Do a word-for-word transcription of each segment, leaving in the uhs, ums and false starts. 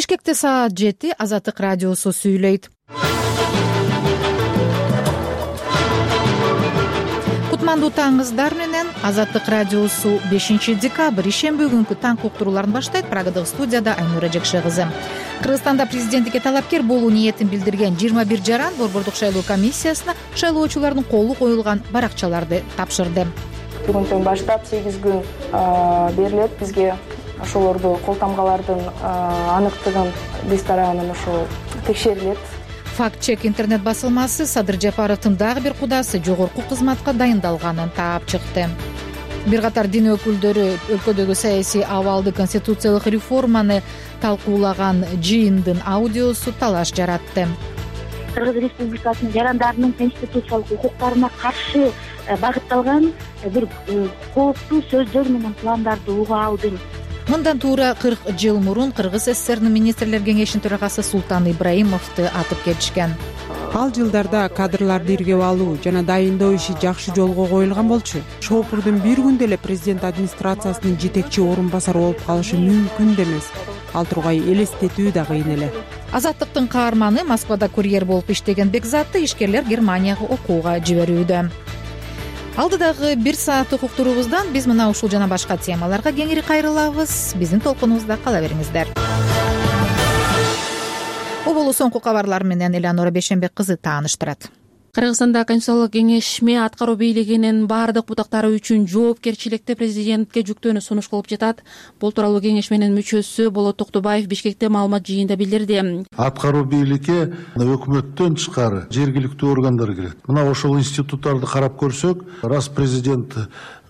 Бишкекте саат жети. Азаттык радиосу сүйлөйт. Кутмандуу таңыңыздар менен. Азаттык радиосу бешинчи декабрь ишемби күнкү таң уктурууларын баштайт. Прагадагы студияда Айнура Жекше кызы. Кыргызстанда президенттикке талапкер болуу ниетин билдирген жыйырма бир жаран Борбордук шайлоо комиссиясына шайлоочулардын колу коюлган баракчаларды тапшырды. Бүгүнтөн баштап сегиз күн берилет бизге ошолорду кол тамгалардын аныктыгын биз тарабынан ошол текшерилет. Факт-чек интернет басылмасы Садыр Жапаровдун дагы бир кудасы жогорку кызматка дайындалганын таап чыкты. Бир катар дин өкүлдөрү өлкөдөгү саясий абалды, конституциялык реформаны талкуулаган жыйындын аудиосу талаш жаратты. Кыргыз Республикасынын жарандарынын конституциялык укуктарына каршы багытталган бир кооптуу сөздөр менен пландарды уга алдым. Мындан туура кырк жыл мурун Кыргыз СССРнын министрлер кеңешинин төрагасы Султан Ибраимовду атып кетишкен. Ал жылдарда кадрларды иргеп алуу жана дайындоо иши жакшы жолго коюлган болчу. Шопурдун бир күндө эле президент администрациясынын жетекчи орун басары болуп калышы мүмкүн да эмес. Ал тургай элестетүү да кыйын эле. Азаттыктын каарманы Москвада курьер болуп иштеген Бекзатты ишкерлер Германияга окууга жиберүүдө. Алдыдагы бир сааттык уктуруубуздан биз мына ушул жана башка темаларга кеңири кайрылабыз. Биздин толкунубузда кала бериңиздер. Оболу соңку кабарлар менен Элеонора Бейшенбек кызы тааныштырат. Кыргызстанда Конституциялык кеңешме аткаруу бийлигинин баардык бутактары үчүн жоопкерчиликти президентке жүктөөнү сунуш кылып жатат. Бул тууралуу кеңешменин мүчөсү Болот Токтубаев Бишкекте маалымат жыйында билдирди. Аткаруу бийликке өкмөттөн тышкары жергиликтүү органдар кирет. Мына ошол институттарды карап көрсөк, раз президент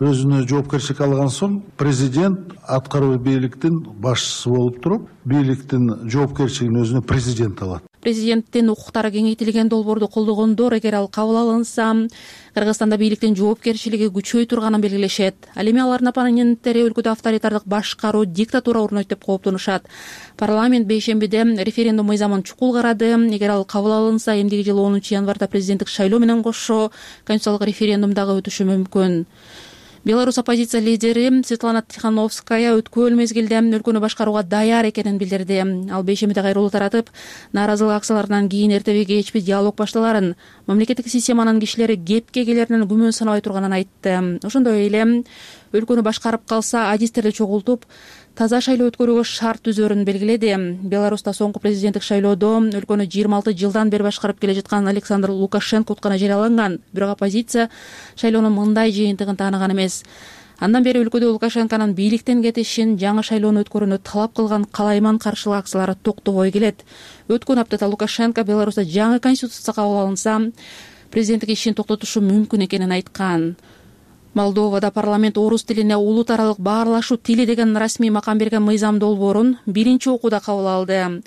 өзүнө жоопкерчилик алган соң, президент аткаруу бийликтин башчысы болуп туруп, бийликтин жоопкерчилигин өзүнө президент алат. Президенттин укуктары кеңейтилген долбоорду колдогондор эгер ал кабыл алынса, Кыргызстанда бийликтин жоопкерчилиги күчөй турганын белгилешет. Ал эми алардын оппоненттери өлкөдө авторитардык башкаруу, диктатура орнойт деп кооптонушат. Парламент бейшембиде референдум мыйзамын чукул карады. Эгер ал кабыл алынса, эмдиги жылы онунчу январда президенттик шайлоо менен кошо конституциялык референдум дагы өтүшү мүмкүн. Беларусь оппозиция лидери Светлана Тихановская өткөн мезгилде өлкөнү башкарууга даяр экенин билдирди. Ал бейшембиде кайрылуу таратып, нааразылык акцияларынан кийин эртеби кечпи диалог башталарын, мамлекеттик системанын кишилери кепке келеринен күмөн санабай турганын айтты. Ошондой эле өлкөнү башкарып калса, адистерди чогултуп, таза шайлоо өткөрүүгө шарт түзөрүн белгиледи. Беларуста соңку президенттик шайлоодо өлкөнү жыйырма алты жылдан бери башкарып келе жаткан Александр Лукашенко утканы жарыяланган. Бирок оппозиция шайлоонун мындай жыйынтыгын тааныган эмес. Андан бери өлкөдө Лукашенконун бийликтен кетишин, жаңы шайлоону өткөрүүнү талап кылган калайман каршылык акциялары токтобой келет. Өткөн аптада Лукашенко Беларуста жаңы конституция кабыл алынса, президенттик ишин токтотушу мүмкүн экенин айткан. Молдовада парламент орус тилине улут аралык баарлашуу тили деген расмий макам берген мыйзам долбоорун биринчи окууда кабыл алды.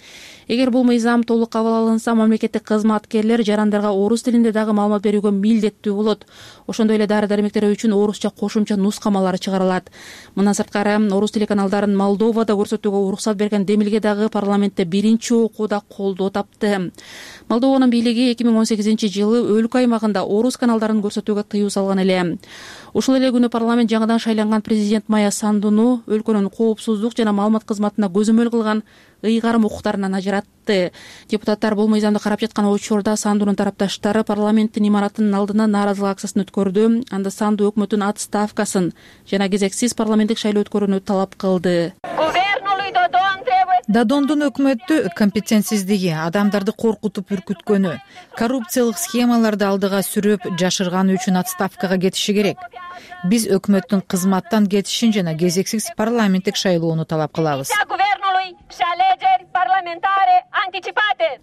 Эгер бул мыйзам толук кабыл алынса, мамлекеттик кызматкерлер жарандарга орус тилинде дагы маалымат берүүгө милдеттүү болот. Ошондой эле дары-дармектер үчүн орусча кошумча нускамалар чыгарылат. Мындан сырткары, орус тили каналдарын Молдовада көрсөтүүгө уруксат берген демилге дагы парламентте биринчи окууда колдоо тапты. Молдованын бийлиги эки миң он сегизинчи жылы өлкө аймагында орус каналдарын көрсөтүүгө тыюу салган эле. Ушул эле күнү парламент жаңыдан шайланган президент Майя Сандууну өлкөнүн коопсуздук жана маалымат кызматына көзөмөл кылган ыйгарым укуктарынан ажыратты. Депутаттар бул мыйзамды карап жаткан учурда Сандуунун тарапташтары парламенттин имаратынын алдына нааразылык акциясын өткөрдү. Анда Сандуу өкмөттүн отставкасын жана кезексиз парламенттик шайлоо өткөрүүнү талап кылды. Додондун өкмөттү компетентсиздиги, адамдарды коркутуп үркүткөнү, коррупциялык схемаларды алдыга сүрөп жашырганы үчүн отставкага кетиши керек. Биз өкмөттүн кызматтан кетишин жана кезексиз парламенттик шайлоону талап кылабыз.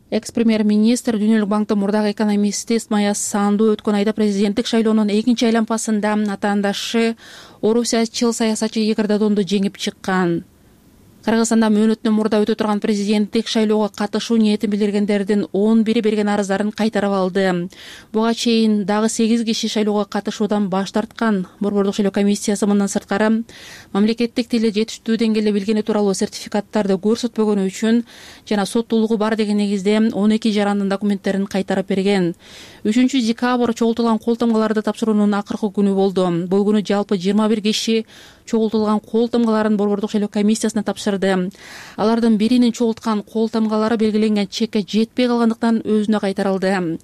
Экс-премьер-министр Дүйнөлүк банктын мурдагы экономисти Майя Сандуу өткөн айда президенттик шайлоонун экинчи айланмасында атаандашы орусиячыл саясатчы Игорь Додонду жеңип чыккан. Кыргызстанда мөөнөтүнөн мурда өтө турган президенттик шайлоого катышуу ниетин билдиргендердин он бири берген арыздарын кайтарып алды. Буга чейин дагы сегиз киши шайлоого катышуудан баш тарткан. Борбордук шайлоо комиссиясы мындан сырткары мамлекеттик тилди жетиштүү деңгээлде билгени тууралуу сертификаттарды көрсөтпөгөнү үчүн жана соттуулугу бар деген негизде он эки жарандын документтерин кайтарып берген. үчүнчү декабрь чогултулган кол тамгаларды тапшыруунун акыркы күнү болду. Бул күнү жалпы жыйырма бир киши чогултулган кол тамгаларын борбордук шайлоо комиссиясына тапшырды. Алардын биринин чогулткан кол тамгалары белгиленген чекке жетпей калгандыктан өзүнө кайтарылды.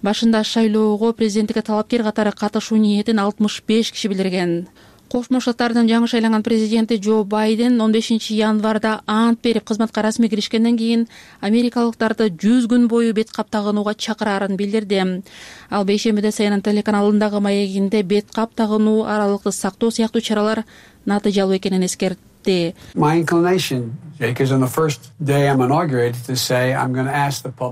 Башында шайлоого президенттикке талапкер катары катышуу ниетин алтымыш беш киши билдирген. Кошмо Штаттардын жаңы шайланган президенти Джо Байден он бешинчи январда ант берип кызматка расмий киришкенден кийин америкалыктарды жүз күн бою бет кап тагынууга чакырарын билдирди. Ал бейшембиде Си Эн Эн телеканалындагы маегинде бет кап тагынуу, аралыкты сактоо сыяктуу чаралар натыйжалуу экенин эскертти.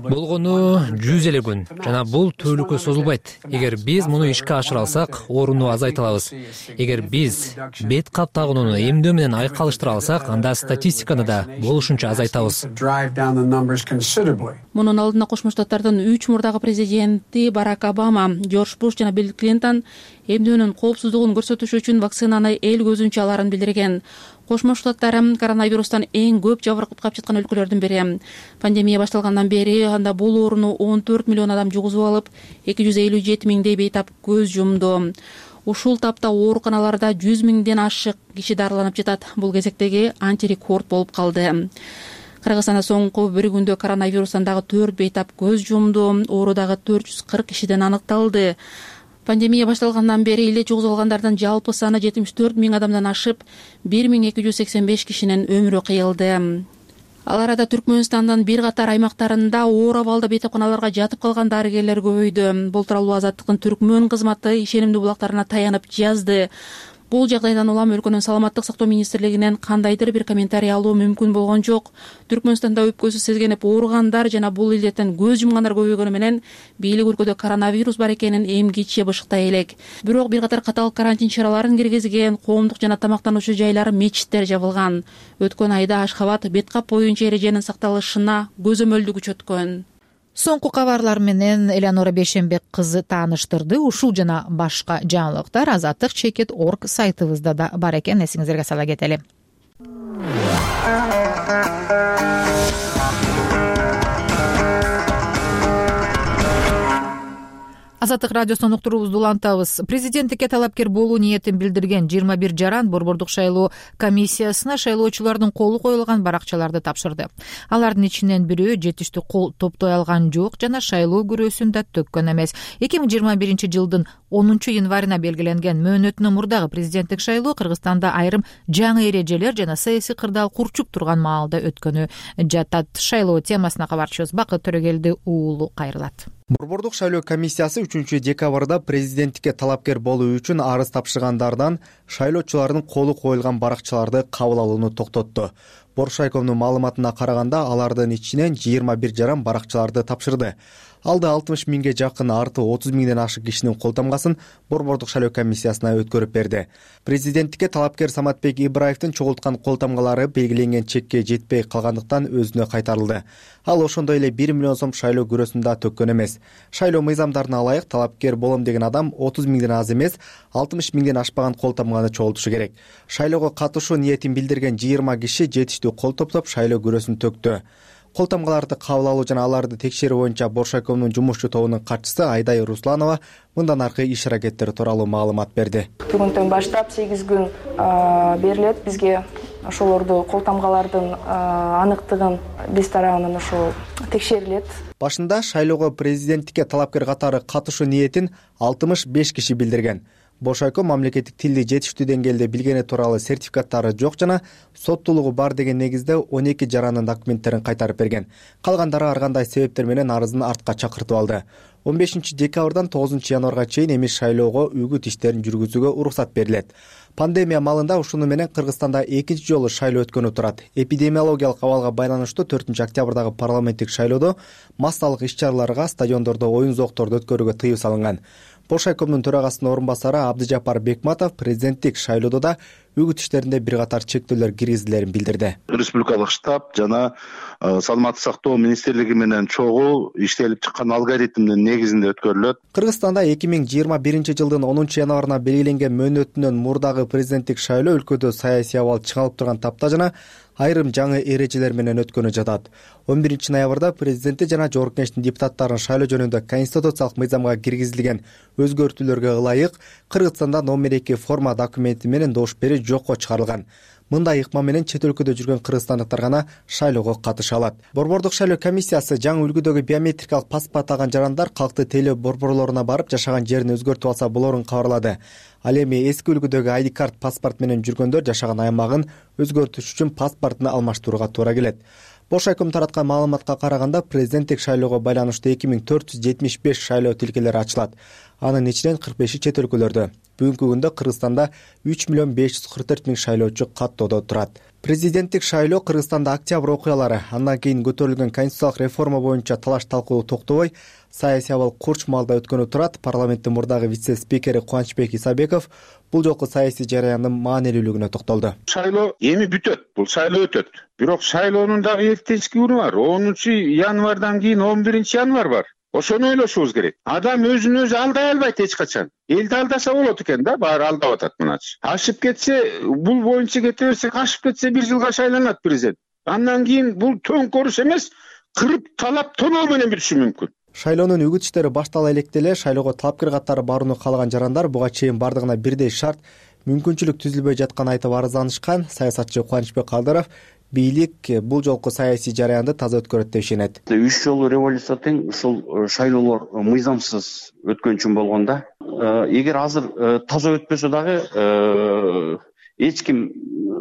Болгону жүз эле күн жана бул түбөлүккө созулбайт. Эгер биз муну ишке ашыра алсак, орунду азайта алабыз. Эгер биз бет кап тагынууну эмдөө менен айкалыштыра алсак, анда статистиканы да болушунча азайтабыз. Мунун алдында Кошмо Штаттардын үч мурдагы президенти Барак Обама, Джордж Буш жана Билл Клинтон эмдөөнүн коопсуздугун көрсөтүш үчүн вакцинаны эл көзүнчө аларын билдирген. Кошмо Штаттар коронавирустан эң көп жабыркап жаткан өлкөлөрдүн бири. Пандемия башталгандан бери анда бул ооруну он төрт миллион адам жугузуп алып, эки жүз элүү жети миңдей бейтап көз жумду. Ушул тапта ооруканаларда жүз миңден ашык киши дарыланып жатат. Бул кезектеги антирекорд болуп калды. Кыргызстанда соңку бир күндө коронавирустан дагы төрт бейтап көз жумду. Оору дагы төрт жүз кырк кишиден аныкталды. Пандемия башталгандан бери эле жугузуп алгандардын жалпы саны жетимиш төрт миң адамдан ашып, бир миң эки жүз сексен беш кишинин өмүрү кыйылды. Ал арада Түркмөнстандын бир катар аймактарында оор абалда бейтапканаларга жатып калган дарыгерлер көбөйдү. Бул тууралуу Азаттыктын Түркмөн кызматы ишенимдүү булактарына таянып жазды. Бул жагдайдан улам өлкөнүн саламаттык сактоо министрлигинен кандайдыр бир комментарий алуу мүмкүн болгон жок. Түркмөнстанда өпкөсү сезгенип ооругандар жана бул илдеттен көз жумгандар көбөйгөнү менен бийлик өлкөдө коронавирус бар экенин эмгиче бышыктай элек. Бирок бир катар катаал карантин чараларын киргизген, коомдук жана тамактануучу жайлар, мечиттер жабылган. Өткөн айда Ашхабад бет кап боюнча эреженин сакталышына көзөмөлдү күчөткөн. Соңку кабарлар менен Элеонора Бейшембек кызы тааныштырды. Ушул жана башка жаңылыктар азаттык чекит точка орг сайтыбызда да бар экен. Эсиңиздерге сала кетели. Азаттык радиосунун уктуруубузду улантабыз. Президенттикке талапкер болуу ниетин билдирген жыйырма бир жаран борбордук шайлоо комиссиясына шайлоочулардын колу коюлган баракчаларды тапшырды. Алардын ичинен бирөө жетиштүү кол топтой алган жок жана шайлоо күрөөсүн да төккөн эмес. эки миң жыйырма биринчи жылдын онунчу январына белгиленген мөөнөтүнөн мурдагы президенттик шайлоо Кыргызстанда айрым жаңы эрежелер жана саясий кырдаал курчуп турган маалда өткөнү жатат. Шайлоо темасына кабарчыбыз Бакыт Төрөгелди уулу кайрылат. Борбордук шайлоо комиссиясы үчүнчү декабрда президенттикке талапкер болуу үчүн арыз тапшыргандардан шайлоочулардын колу коюлган баракчаларды кабыл алууну токтотту. Боршайкомдун маалыматына караганда алардын ичинен жыйырма бир жаран баракчаларды тапшырды. Алды алтымыш миңге жакын, арты отуз миңден ашык кишинин колтамгасын борбордук шайлоо комиссиясына өткөрүп берди. Президенттикке талапкер Саматбек Ибраевдин чогулткан колтамгалары белгиленген чекке жетпей калгандыктан өзүнө кайтарылды. Ал ошондой эле бир миллион сом шайлоо күрөөсүн да төккөн эмес. Шайлоо мыйзамдарына ылайык талапкер болом деген адам отуз миңден аз эмес, алтымыш миңден ашпаган колтамганы чогултушу керек. Шайлоого катышуу ниетин билдирген жыйырма киши жетиштүү кол топтоп шайлоо күрөөсүн төктү. Колтамгаларды кабыл алуу жана аларды текшерүү боюнча Боршайкомдун жумушчу тобунун катчысы Айдай Русланова мындан аркы иш аракеттер тууралуу маалымат берди. Бүгүндөн баштап сегиз күн берилет бизге ошолорду колтамгалардын аныктыгын биз тарабынан ошол текшерилет. Башында шайлоого президенттикке талапкер катары катышуу ниетин алтымыш беш киши билдирген. Боршайком мамлекеттик тилди жетиштүү деңгээлде билгени тууралуу сертификаттары жок жана соттуулугу бар деген негизде он эки жарандын документтерин кайтарып берген. Калгандары ар кандай себептер менен арызын артка чакыртып алды. он бешинчи декабрдан тогузунчу январга чейин эмес шайлоого үгүт иштерин жүргүзүүгө уруксат берилет. Пандемия малында ушуну менен Кыргызстанда экинчи жолу шайлоо өткөнү турат. Эпидемиологиялык абалга байланыштуу төртүнчү октябрдагы парламенттик шайлоодо массалык иш-чараларга, стадиондордо оюн зоокторду өткөрүүгө тыюу салынган. Боршайкомдун төрагасынын орун басары Абдыжапар Бекматов президенттик шайлоодо да үгүт иштеринде бир катар чектөөлөр киргизилерин билдирди. Республикалык штаб жана саламаттык сактоо министрлиги менен чогуу иштелип чыккан алгоритмдин негизинде өткөрүлөт. Кыргызстанда эки миң жыйырма биринчи жылдын онунчу январына белгиленген мөөнөтүнөн мурдагы президенттик шайлоо өлкөдө саясий абал чыңалып турган тапта жана айрым жаңы эрежелер менен өткөнү жатат. он биринчи ноябрда президенти жана жогорку кеңештин депутаттарын шайлоо жөнүндө конституциялык мыйзамга киргизилген өзгөртүүлөргө ылайык Кыргызстанда номер эки форма документи менен добуш берүү жокко чыгарылган. Мындай ыкма менен чет өлкөдө жүргөн кыргызстандыктар гана шайлоого катыша алат. Борбордук шайлоо комиссиясы жаңы үлгүдөгү биометрикалык паспорт алган жарандар калктуу тейлөө борборлоруна барып жашаган жерин өзгөртүп алса болорун кабарлады. Ал эми эски үлгүдөгү ай ди карт паспорт менен жүргөндөр жашаган аймагын өзгөртүш үчүн паспортун алмаштырууга туура келет. Бошайком тараткан маалыматка караганда президенттик шайлоого байланыштуу эки миң төрт жүз жетимиш беш шайлоо тилкелери ачылат. Анын ичинен кырк беши чет өлкөлөрдө. Бүгүнкү күндө Кыргызстанда үч миллион беш жүз кырк төрт миң шайлоочу каттоодо турат. Президенттик шайлоо Кыргызстанда октябрь окуялары, андан кийин көтөрүлгөн конституциялык реформа боюнча талаш талкуу токтобой, саясий абал курч маалда өткөнү турат. Парламенттин мурдагы вице-спикери Кубанычбек Исабеков бул жолку саясий жараяндын маанилүүлүгүнө токтолду. Шайлоо эми бүтөт, бул шайлоо өтөт. Бирок шайлоонун дагы эртешки күнү бар. онунчу январдан кийин он биринчи январь бар. Ошону ойлошубуз керек. Адам өзүн өзү алдай албайт эч качан. Элди алдаса болот экен да, баары алдап атат мыначы. Ашып кетсе, бул боюнча кете берсек, ашып кетсе бир жылга шайланат президент. Андан кийин бул төңкөрүш эмес, кырып талап тоноо менен бүтүшү мүмкүн. Шайлоонун үгүт иштери баштала электе эле шайлоого талапкер катары барууну каалаган жарандар буга чейин бардыгына бирдей шарт, мүмкүнчүлүк түзүлбөй жатканын айтып арызданышкан. Саясатчы Кубанычбек Кадыров бийлик бул жолку саясий жараянды таза өткөрөт деп ишенет. Үч жолу революция тең ушул шайлоолор мыйзамсыз өткөн үчүн болгонда, эгер азыр таза өтпөсө дагы эч ким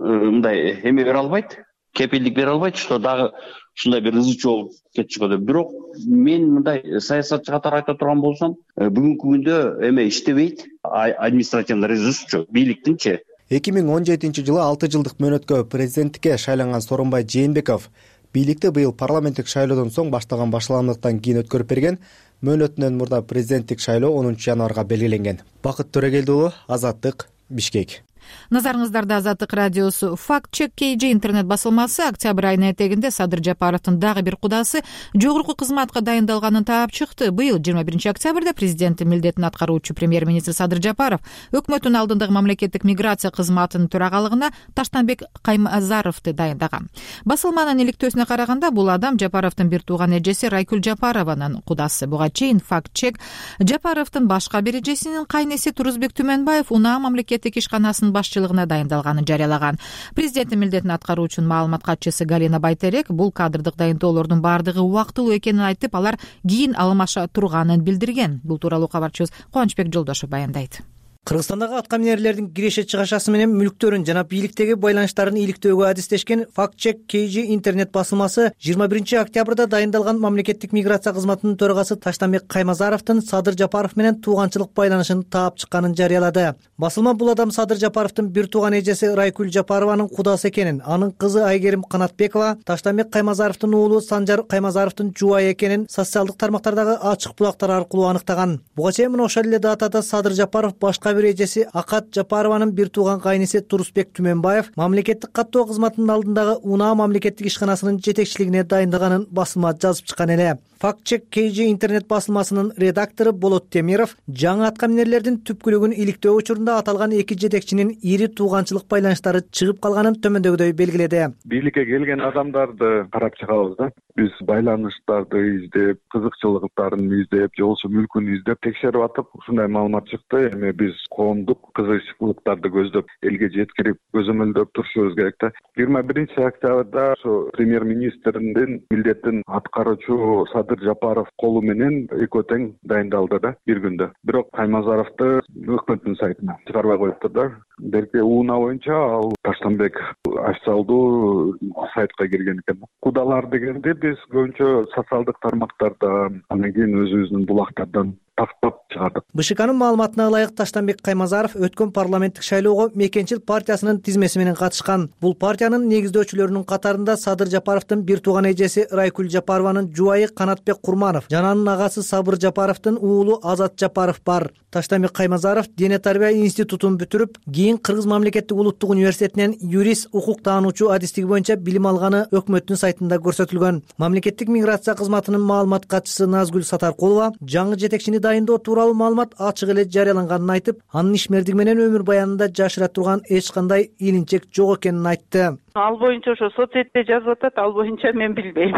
мындай эме бере албайт, кепилдик бере албайт, что дагы ушундай бир ызы чуу болуп кетчү деп. Бирок мен мындай саясатчы катары айта турган болсом, бүгүнкү күндө эме иштебейт, административный ресурс бийликтинчи. эки миң он жетинчи жылы алты жылдык мөөнөткө президенттикке шайланган Сооронбай Жээнбеков бийликти быйыл парламенттик шайлоодон соң баштаган башаламдыктан кийин өткөрүп берген. Мөөнөтүнөн мурда президенттик шайлоо онунчу январга белгиленген. Бакыт Төрөгелди уулу, Азаттык, Бишкек. Назарыңыздарда Азаттык радиосу. Факт чек кей джи интернет басылмасы октябрь айынын этегинде Садыр Жапаровдун дагы бир кудасы жогорку кызматка дайындалганын таап чыкты. Быйыл жыйырма биринчи октябрда президенттин милдетин аткаруучу премьер-министр Садыр Жапаров өкмөттүн алдындагы мамлекеттик миграция кызматынын төрагалыгына Таштанбек Каймазаровду дайындаган. Басылманын иликтөөсүнө караганда бул адам Жапаровдун бир тууган эжеси Райкүл Жапарованын кудасы. Буга чейин факт чек Жапаровдун башка бир эжесинин кайнеси Турузбек Түмөнбаев Унаа мамлекеттик ишканасынын башчылыгына дайындалаганын жарыялаган. Президенттин милдетин аткаруучунун маалымат катчысы Галина Байтерек бул кадрдык дайындоолордун баардыгы убактылуу экенин айтып, алар кийин алмаша турганын билдирген. Бул тууралуу кабарчыбыз Кубанычбек Жолдошов баяндайт. Кыргызстандагы аткаминерлердин киреше чыгашасы менен мүлктөрүн жана бийликтеги байланыштарын иликтөөгө адистешкен Факт чек кей джи интернет басылмасы жыйырма биринчи октябрда дайындалган мамлекеттик миграция кызматынын төрагасы Таштанбек Каймазаровдун Садыр Жапаров менен тууганчылык байланышын таап чыкканын жарыялады. Басылма бул адам Садыр Жапаровдун бир тууган эжеси Райкүл Жапарованын кудасы экенин, анын кызы Айгерим Канатбекова Таштанбек Каймазаровдун уулу Санжар Каймазаровдун жубайы экенин социалдык тармактардагы ачык булактар аркылуу аныктаган. Буга чейин мына ошол эле датада Садыр Жапаров башка бир эжеси Акат Жапарованын бир тууган кайнеси Турузбек Түмөнбаев мамлекеттик каттоо кызматынын алдындагы Унаа мамлекеттик ишканасынын жетекчилигине дайындаганын басылма жазып чыккан эле. Факт чек кей джи интернет басылмасынын редактору Болот Темиров жаңы аткаминерлердин түпкүлүгүн иликтөө учурунда аталган эки жетекчинин ири тууганчылык байланыштары чыгып калганын төмөндөгүдөй белгиледи. Бийликке келген адамдарды карап чыгабыз да. Биз байланыштарды издеп, кызыкчылыктарын издеп, же болбосо мүлкүн издеп текшерип атып, ушундай маалымат чыкты. Эми биз коомдук кызыкчылыктарды көздөп, элге жеткирип, көзөмөлдөп турушубуз керек да. жыйырма биринчи октябрда ошо премьер-министриндин милдетин аткаруучу Садыр Жапаров колу менен экөө тең дайындалды да бир күндө. Бирок Каймазаровду өкмөттүн сайтына чыгарбай коюптур да. Берки Унаа боюнча ал Таштанбек официалдуу сайтка кирген экен. Кудалар дегенде биз көбүнчө социалдык тармактарда, андан кийин өзүбүздүн булактардан тактап чыгардык. БШКнын маалыматына ылайык Таштанбек Каймазаров өткөн парламенттик шайлоого Мекенчил партиясынын тизмеси менен катышкан. Бул партиянын негиздөөчүлөрүнүн катарында Садыр Жапаровдун бир тууган эжеси Райкүл Жапарованын жубайы Канатбек Курманов жана анын агасы Сабыр Жапаровдун уулу Азат Жапаров бар. Таштанбек Каймазаров Дене тарбия институтун бүтүрүп, кийин Кыргыз мамлекеттик улуттук университетинен юрист, укук таануучу адистиги боюнча билим алганы өкмөттүн сайтында көрсөтүлгөн. Мамлекеттик миграция кызматынын маалымат катчысы Назгүл Сатаркулова жаңы жетекчини дайындоо тууралуу маалымат ачык эле жарыяланганын айтып, анын ишмердиги менен өмүр баянында жашыра турган эч кандай илинчек жок экенин айтты. Ал боюнча ошо соцсетте жазып атат, ал боюнча мен билбейм.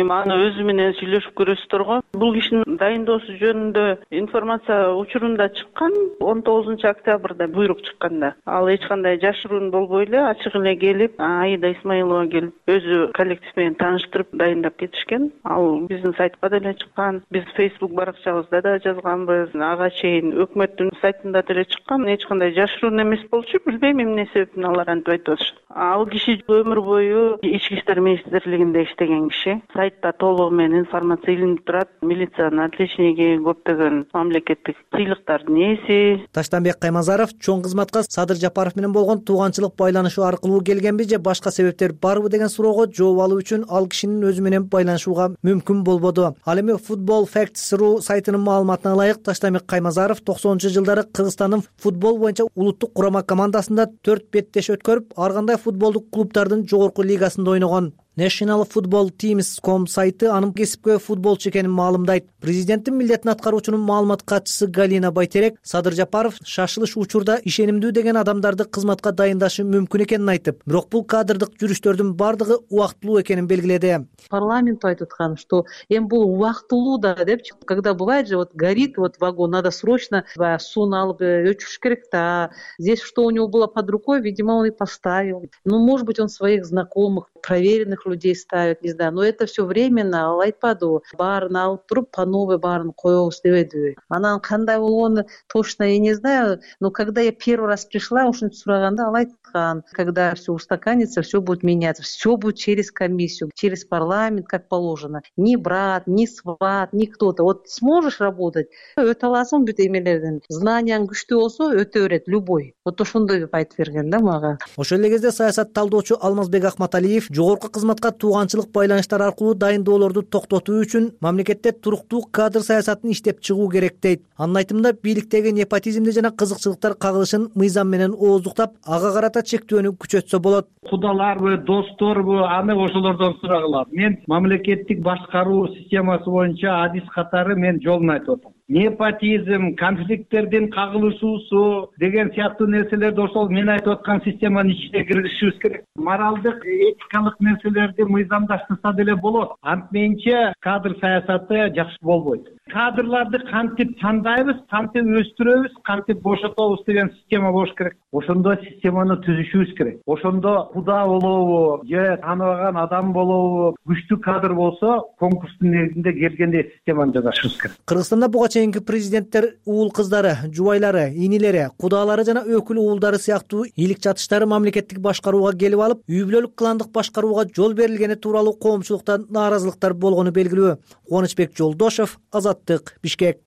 эми аны өзү менен сүйлөшүп көрөсүздөр го. Бул кишинин дайындоосу жөнүндө информация учурунда чыккан, он тогузунчу октябрда буйрук чыкканда. Ал эч кандай жашыруун болбой эле ачык эле келип, Аида Исмаилова келип, өзү коллектив менен тааныштырып дайындап кетишкен. Ал биздин сайтка деле чыккан, биз Facebook баракчабызда да жазганбыз, ага чейин өкмөттүн сайтында деле чыккан. Эч кандай жашыруун эмес болчу, билбейм эмне себептен алар антип айтып атышат. Ал киши өмүр бою Ички иштер министрлигинде иштеген киши. Сайтта толугу менен информация илинип турат. Милициянын отличниги, көптөгөн мамлекеттик сыйлыктардын ээси. Таштанбек Каймазаров чоң кызматка Садыр Жапаров менен болгон тууганчылык байланышы аркылуу келгенби же башка себептер барбы деген суроого жооп алуу үчүн ал кишинин өзү менен байланышууга мүмкүн болбоду. Ал эми Football Facts.ru сайтынын маалыматына ылайык Таштанбек Каймазаров токсонунчу жылдары Кыргызстандын футбол боюнча улуттук курама командасында төрт беттеш өткөрүп, ар кандай футболдук клубдардын жогорку лигасында ойногон. National Football Teams точка ком сайты анын кесипкөй футболчу экенин маалымдайт. Президенттин милдетин аткаруучунун маалымат катчысы Галина Байтерек Садыр Жапаров шашылыш учурда ишенимдүү деген адамдарды кызматка дайындашы мүмкүн экенин айтып, бирок бул кадрдык жүрүштөрдүн бардыгы убактылуу экенин белгиледи. Парламент айтып аткан, что эми бул убактылуу да деп, когда бывает же вот горит вот вагон, надо срочно суну алып өчүрүш керек, да. Здесь что у него было под рукой, видимо, он и поставил. Ну, может быть, он своих знакомых, проверенных людей ставит, не знаю, но это все временно. Ал айтпады, баарын алып туруп по новой баарын коебуз дебеди. Анан кандай болгону точно я не знаю, но когда я первый раз пришла, ушинтип сураганда ал айткан, когда все устаканится, все будет меняться, все будет через комиссию, через парламент, как положено. Ни брат, ни сват, ни кто-то. Вот сможешь работать, өтө аласың бүт эмелерден. Знанияң күчтүү болсо өтө берет любой. Вот ошондой деп айтып берген да мага. Ошол эле кезде саясат талдоочу Алмазбек Акматалиев жогорку кызматка тууганчылык байланыштар аркылуу дайындоолорду токтотуу үчүн мамлекетте туруктуу кадр саясатын иштеп чыгуу керек дейт. Анын айтымында бийликтеги непотизмди жана кызыкчылыктар кагылышын мыйзам менен ооздуктап, ага карата чектөөнү күчөтсө болот. Кудаларбы, досторбу, аны ошолордон сурагыла. Мен мамлекеттик башкаруу системасы боюнча адис катары мен жолун айтып атам. Непотизм, конфликттердин кагылышуусу деген сыяктуу нерселерди ошол мен айтып аткан системанын ичине киргизишибиз керек. Моралдык, этикалык нерселерди мыйзамдаштырса деле болот. Антменче кадр саясаты жакшы болбойт. Кадрларды кантип тандайбыз, кантип өстүрөбүз, кантип бошотобуз деген система болуш керек. Ошондо системаны түзүшүбүз керек. Ошондо куда болобу, же тааныбаган адам болобу, күчтүү кадр болсо, конкурстун негизинде келгенде системаны жасашыбыз керек. Кыргызстанда буга чейинки президенттер уул кыздары, жубайлары, инилери, кудалары жана өкүл уулдары сыяктуу ийгилик жатыштары мамлекеттик башкарууга келип алып, үй бүлөлүк кландык башкарууга жол берилгени тууралуу коомчулуктан нааразылыктар болгону белгилүү. Кубанычбек Жолдошов, Азаттык, Бишкек.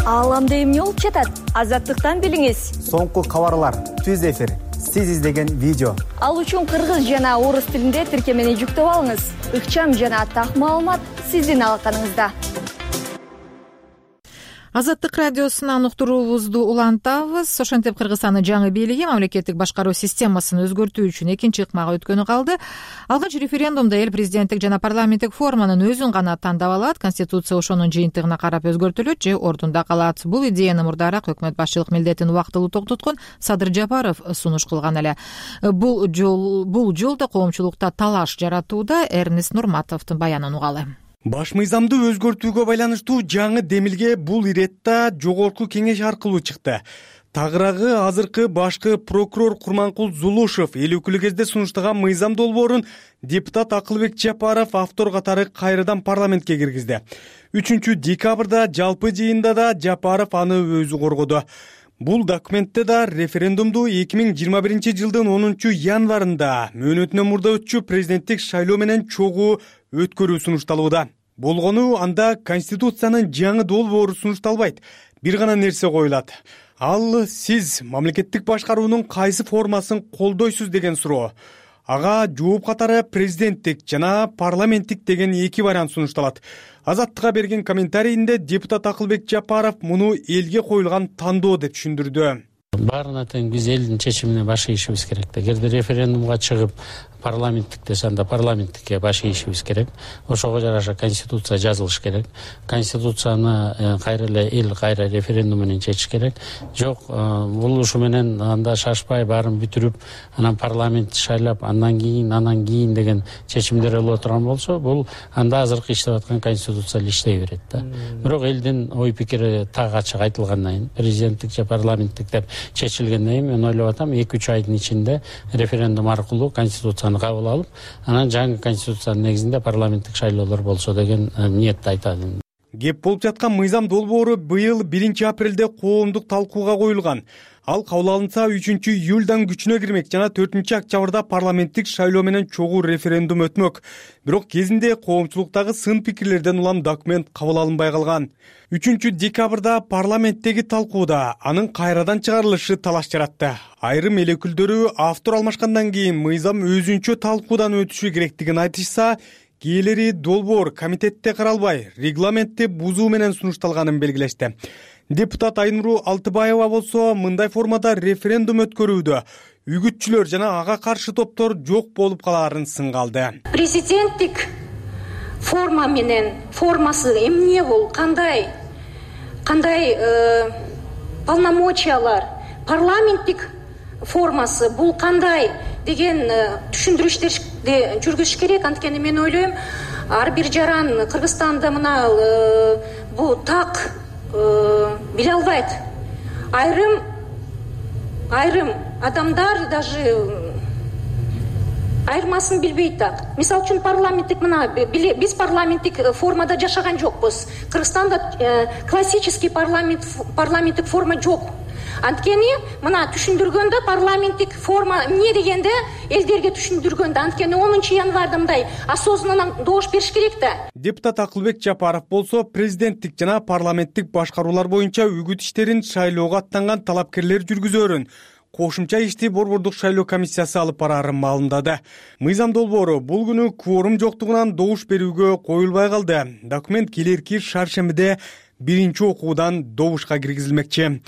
Ааламда эмне болуп жатат? Азаттыктан билиңиз. Соңку кабарлар, түз эфир, сиз издеген видео. Ал үчүн кыргыз жана орус тилинде тиркемени жүктөп алыңыз. Ыкчам жана так маалымат сиздин алаканыңызда. Азаттык радиосунан уктуруубузду улантабыз. Ошентип Кыргызстандын жаңы бийлиги мамлекеттик башкаруу системасын өзгөртүү үчүн экинчи ыкмага өткөнү калды. Алгач референдумда эл президенттик жана парламенттик форманын өзүн гана тандап алат, конституция ошонун жыйынтыгына карап өзгөртүлөт же ордунда калат. Бул идеяны мурдараак өкмөт башчылык милдетин убактылуу токтоткон Садыр Жапаров сунуш кылган эле. Бул жол бул жолдо коомчулукта талаш жаратууда. Эрнест Нурматовдун баянын угалы. Баш мыйзамды өзгөртүүгө байланыштуу жаңы демилге бул иретта жогорку кеңеш аркылуу чыкты. Тагыраагы азыркы башкы прокурор Курманкул Зулушев эл өкүлү кезде сунуштаган мыйзам долбоорун депутат Акылбек Жапаров автор катары кайрадан парламентке киргизди. үчүнчү декабрда жалпы жыйында да Жапаров аны өзү коргоду. Бул документте да референдумду эки миң жыйырма биринчи жылдын онунчу январында мөөнөтүнөн мурда өтчү президенттик шайлоо менен чогуу өткөрүү сунушталууда. Болгону анда конституциянын жаңы долбоору сунушталбайт. Бир гана нерсе коюлат. Ал сиз мамлекеттик башкаруунун кайсы формасын колдойсуз деген суроо. Ага жооп катары президенттик жана парламенттик деген эки вариант сунушталат. Азаттыкка берген комментарийинде депутат Акылбек Жапаров муну элге коюлган тандоо деп түшүндүрдү. баарына тең биз элдин чечимине баш ийишибиз керек да. Эгерде референдумга чыгып парламенттик десе анда парламенттикке баш ийишибиз керек. Ошого жараша конституция жазылыш керек. Конституцияны кайра эле эл кайра референдум менен чечиш керек. Жок, бул ушу менен анда шашпай баарын бүтүрүп, анан парламент шайлап, андан кийин, анан кийин деген чечимдер боло турган болсо, бул анда азыркы иштеп аткан конституция эле иштей берет да. Бирок элдин ой пикири так ачык айтылгандан кийин, президенттик же парламенттик деп чечилгенден кийин мен ойлоп атам, эки үч айдын ичинде референдум аркылуу конституцияны кабыл алып, анан жаңы конституциянын негизинде парламенттик шайлоолор болсо деген ниетти айтат. Кеп болуп жаткан мыйзам долбоору быйыл биринчи апрелде коомдук талкууга коюлган. Ал кабыл алынса үчүнчү июлдан күчүнө кирмек жана төртүнчү октябрда парламенттик шайлоо менен чогуу референдум өтмөк. Бирок кезинде коомчулуктагы сын пикирлерден улам документ кабыл алынбай калган. үчүнчү декабрда парламенттеги талкууда анын кайрадан чыгарылышы талаш жаратты. Айрым эл өкүлдөрү автор алмашкандан кийин мыйзам өзүнчө талкуудан өтүшү керектигин айтышса, кээleri долбоор комитетте каралбай, регламентти бузуу менен сунушталганын белгилешти. Депутат Айнуру Алтыбаева болсо мындай формада референдум өткөрүүдө үгүтчүлөр жана ага каршы топтор жок болуп калаарын сынга алды. Президенттик форма менен формасы эмне бул, кандай кандай полномочиялар, парламенттик формасы бул кандай деген түшүндүрүштөрдү жүргүзүш керек. Анткени мен ойлойм, ар бир жаран Кыргызстанда мына бул так биле албайт. Айрым айрым адамдар даже айырмасын билбейт так. Мисалы үчүн парламенттик мына биз парламенттик формада жашаган жокпуз. Кыргызстанда классический парламент парламенттик форма жок. Анткени мына түшүндүргөндө парламенттик форма эмне дегенде элдерге түшүндүргөндө, анткени онунчу январда мындай осознанно добуш бериш керек да. Депутат Акылбек Жапаров болсо президенттик жана парламенттик башкаруулар боюнча үгүт иштерин шайлоого аттанган талапкерлер жүргүзөрүн кошумча ишти Борбордук шайлоо комиссиясы алып бараарын маалымдады. Мыйзам долбоору бул күнү кворум жоктугунан добуш берүүгө коюлбай калды. Документ келерки шаршембиде биринчи окуудан добушка киргизилмекчи.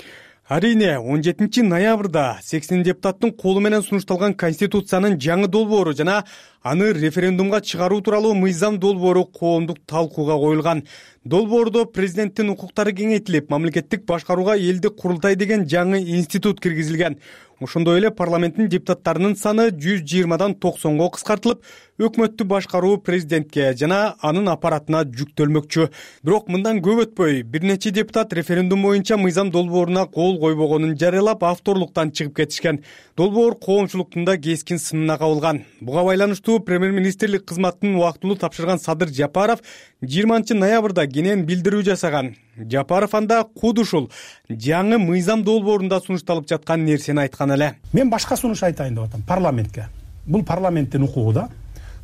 Арине он жетинчи ноябрда сексен депутаттын колу менен сунушталган конституциянын жаңы долбоору жана аны референдумга чыгаруу тууралуу мыйзам долбоору коомдук талкууга коюлган. Долбоордо президенттин укуктары кеңейтилип, мамлекеттик башкарууга элдик курултай деген жаңы институт киргизилген. Ошондой эле парламенттин депутаттарынын саны жүз жыйырмадан токсонго кыскартылып, өкмөттү башкаруу президентке жана анын аппаратына жүктөлмөкчү. Бирок мындан көп өтпөй, бир нече депутат референдум боюнча мыйзам долбооруна кол койбогонун жарыялап, авторлуктан чыгып кетишкен. Долбоор коомчулуктун да кескин сынына кабылган. Буга байланыштуу премьер-министрлик кызматын убактылуу тапшырган Садыр Жапаров жыйырманчы ноябрда кенен билдирүү жасаган. Жапаров анда куд ушул жаңы мыйзам долбоорунда сунушталып жаткан нерсени айткан эле. Мен башка сунуш айтайын деп атам парламентке. Бул парламенттин укугу да.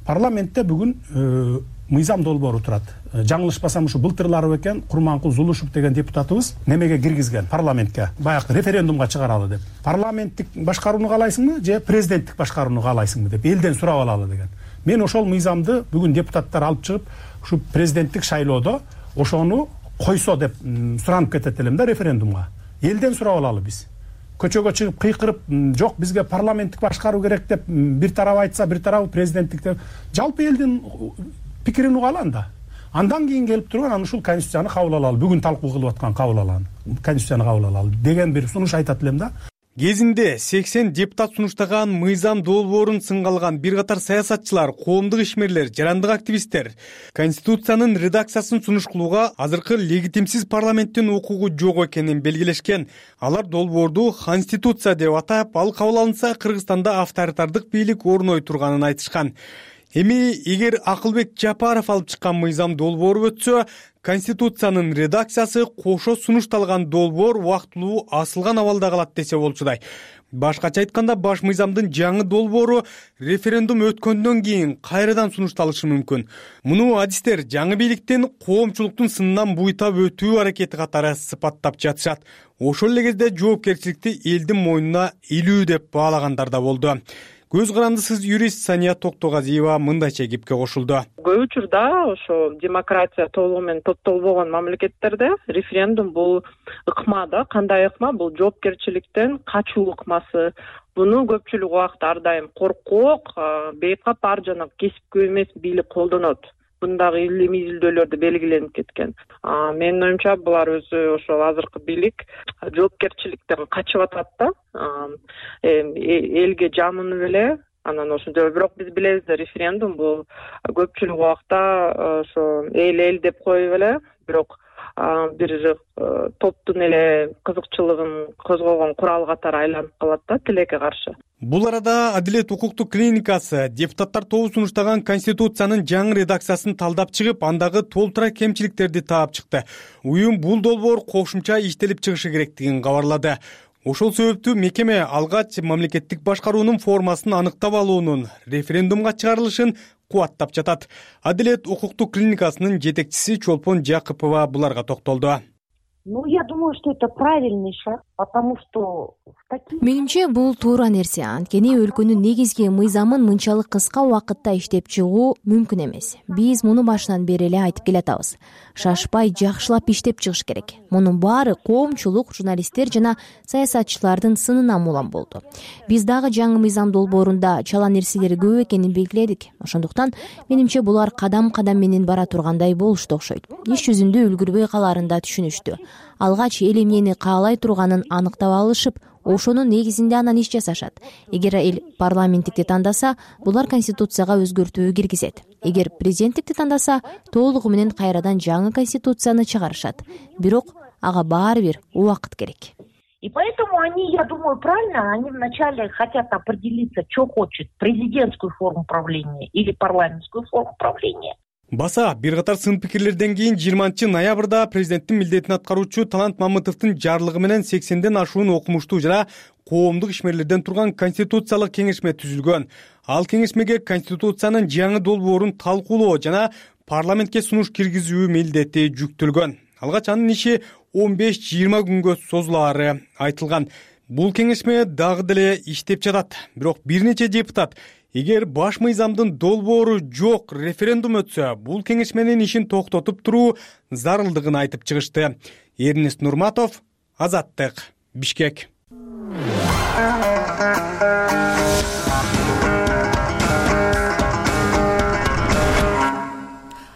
Парламентте бүгүн мыйзам долбоору турат. Жаңылышпасам ушу былтырлары бекен Курманкул Зулушев деген депутатыбыз немеге киргизген парламентке. Баягы референдумга чыгаралы деп. Парламенттик башкарууну каалайсыңбы же президенттик башкарууну каалайсыңбы деп элден сурап алалы деген. Мен ошол мыйзамды бүгүн депутаттар алып чыгып, ушу президенттик шайлоодо ошону койсо деп суранып кетет элем да референдумга. Элден сурап алалы биз. Көчөгө чыгып кыйкырып, жок бизге парламенттик башкаруу керек деп бир тарап айтса, бир тарабы президенттик деп, жалпы элдин пикирин угалы анда. Андан кийин келип турган аны ушул конституцияны кабыл алалы, бүгүн талкуу кылып аткан кабыл алалы, конституцияны кабыл алалы деген бир сунуш айтат элем да. Кезинде сексен депутат сунуштаган мыйзам долбоорун сынга алган бир катар саясатчылар, коомдук ишмерлер, жарандык активисттер конституциянын редакциясын сунуш кылууга азыркы легитимсиз парламенттин укугу жок экенин белгилешкен. Алар долбоорду конституция деп атап, ал кабыл алынса Кыргызстанда авторитардык бийлик орной турганын айтышкан. Эми эгер Акылбек Жапаров алып чыккан мыйзам долбоору өтсө, конституциянын редакциясы кошо сунушталган долбоор убактылуу асылган абалда калат десе болчудай. Башкача айтканда, баш мыйзамдын жаңы долбоору референдум өткөндөн кийин кайрадан сунушталышы мүмкүн. Муну адистер жаңы бийликтин коомчулуктун сынынан буйтап өтүү аракети катары сыпаттап жатышат. Ошол эле кезде жоопкерчиликти элдин мойнуна илүү деп баалагандар да болду. көз карандысыз юрист Сания Токтогазиева мындайча кепке кошулду. Көп учурда ошо демократия толугу менен топтолбогон мамлекеттерде референдум бул ыкма да. Кандай ыкма? Бул жоопкерчиликтен качуу ыкмасы. Буну көпчүлүк убакта ар дайым коркок, бейкап ар жана кесипкөй эмес бийлик колдонот. Бундагы илимий изилдөөлөрдө белгиленип кеткен. Менин оюмча булар өзү ошол азыркы бийлик жоопкерчиликтен качып атат да. Элге жамынып эле анан ошондой. Бирок биз билебиз да, референдум бул көпчүлүк убакта ошо эл эл деп коюп эле, бирок бир топтун эле кызыкчылыгын козгогон курал катары айланып калат да тилекке каршы. Бул арада Адилет укуктук клиникасы депутаттар тобу сунуштаган Конституциянын жаңы редакциясын талдап чыгып, андагы толтура кемчиликтерди таап чыкты. Уюм бул долбоор кошумча иштелип чыгышы керектигин кабарлады. Ошол себептүү мекеме алгач мамлекеттик башкаруунун формасын аныктап алуунун референдумга чыгарылышын кубаттап жатат. Адилет укуктук клиникасынын жетекчиси Чолпон Жакыпова буларга токтолду. Ну, я думаю, что это правильный шаг, потому что менимче бул туура нерсе. Анткени өлкөнүн негизги мыйзамын мынчалык кыска убакытта иштеп чыгуу мүмкүн эмес. Биз муну башынан бери эле айтып келатабыз. Шашпай жакшылап иштеп чыгыш керек. Мунун баары коомчулук, журналисттер жана саясатчылардын сынынан улам болду. Биз дагы жаңы мыйзам долбоорунда чала нерселер көп экенин белгиледик. Ошондуктан менимче булар кадам-кадам менен бара тургандай болушту окшойт. Иш жүзүндө үлгүрбөй калаарын да түшүнүштү. Алгач эл эмнени каалай турганын аныктап алышып, ошонун негизинде анан иш жасашат. Эгер эл парламенттикти тандаса, булар конституцияга өзгөртүү киргизет. Эгер президенттикти тандаса, толугу менен кайрадан жаңы конституцияны чыгарышат. Бирок ага баары бир убакыт керек. И поэтому они, я думаю, правильно, они вначале хотят определиться, что хочет, президентскую форму правления или парламентскую форму правления. Баса бир катар сын пикирлерден кийин жыйырманчы ноябрда президенттин милдетин аткаруучу Талант Мамытовдун жарлыгы менен сексенден ашуун окумуштуу жана коомдук ишмерлерден турган конституциялык кеңешме түзүлгөн. Ал кеңешмеге конституциянын жаңы долбоорун талкуулоо жана парламентке сунуш киргизүү милдети жүктөлгөн. Алгач анын иши он беш жыйырма күнгө созулаары айтылган. Бул кеңешме дагы деле иштеп жатат. Бирок бир нече депутат эгер баш мыйзамдын долбоору жок референдум өтсө, бул кеңешменин ишин токтотуп туруу зарылдыгын айтып чыгышты. Эрнест Нурматов, Азаттык, Бишкек.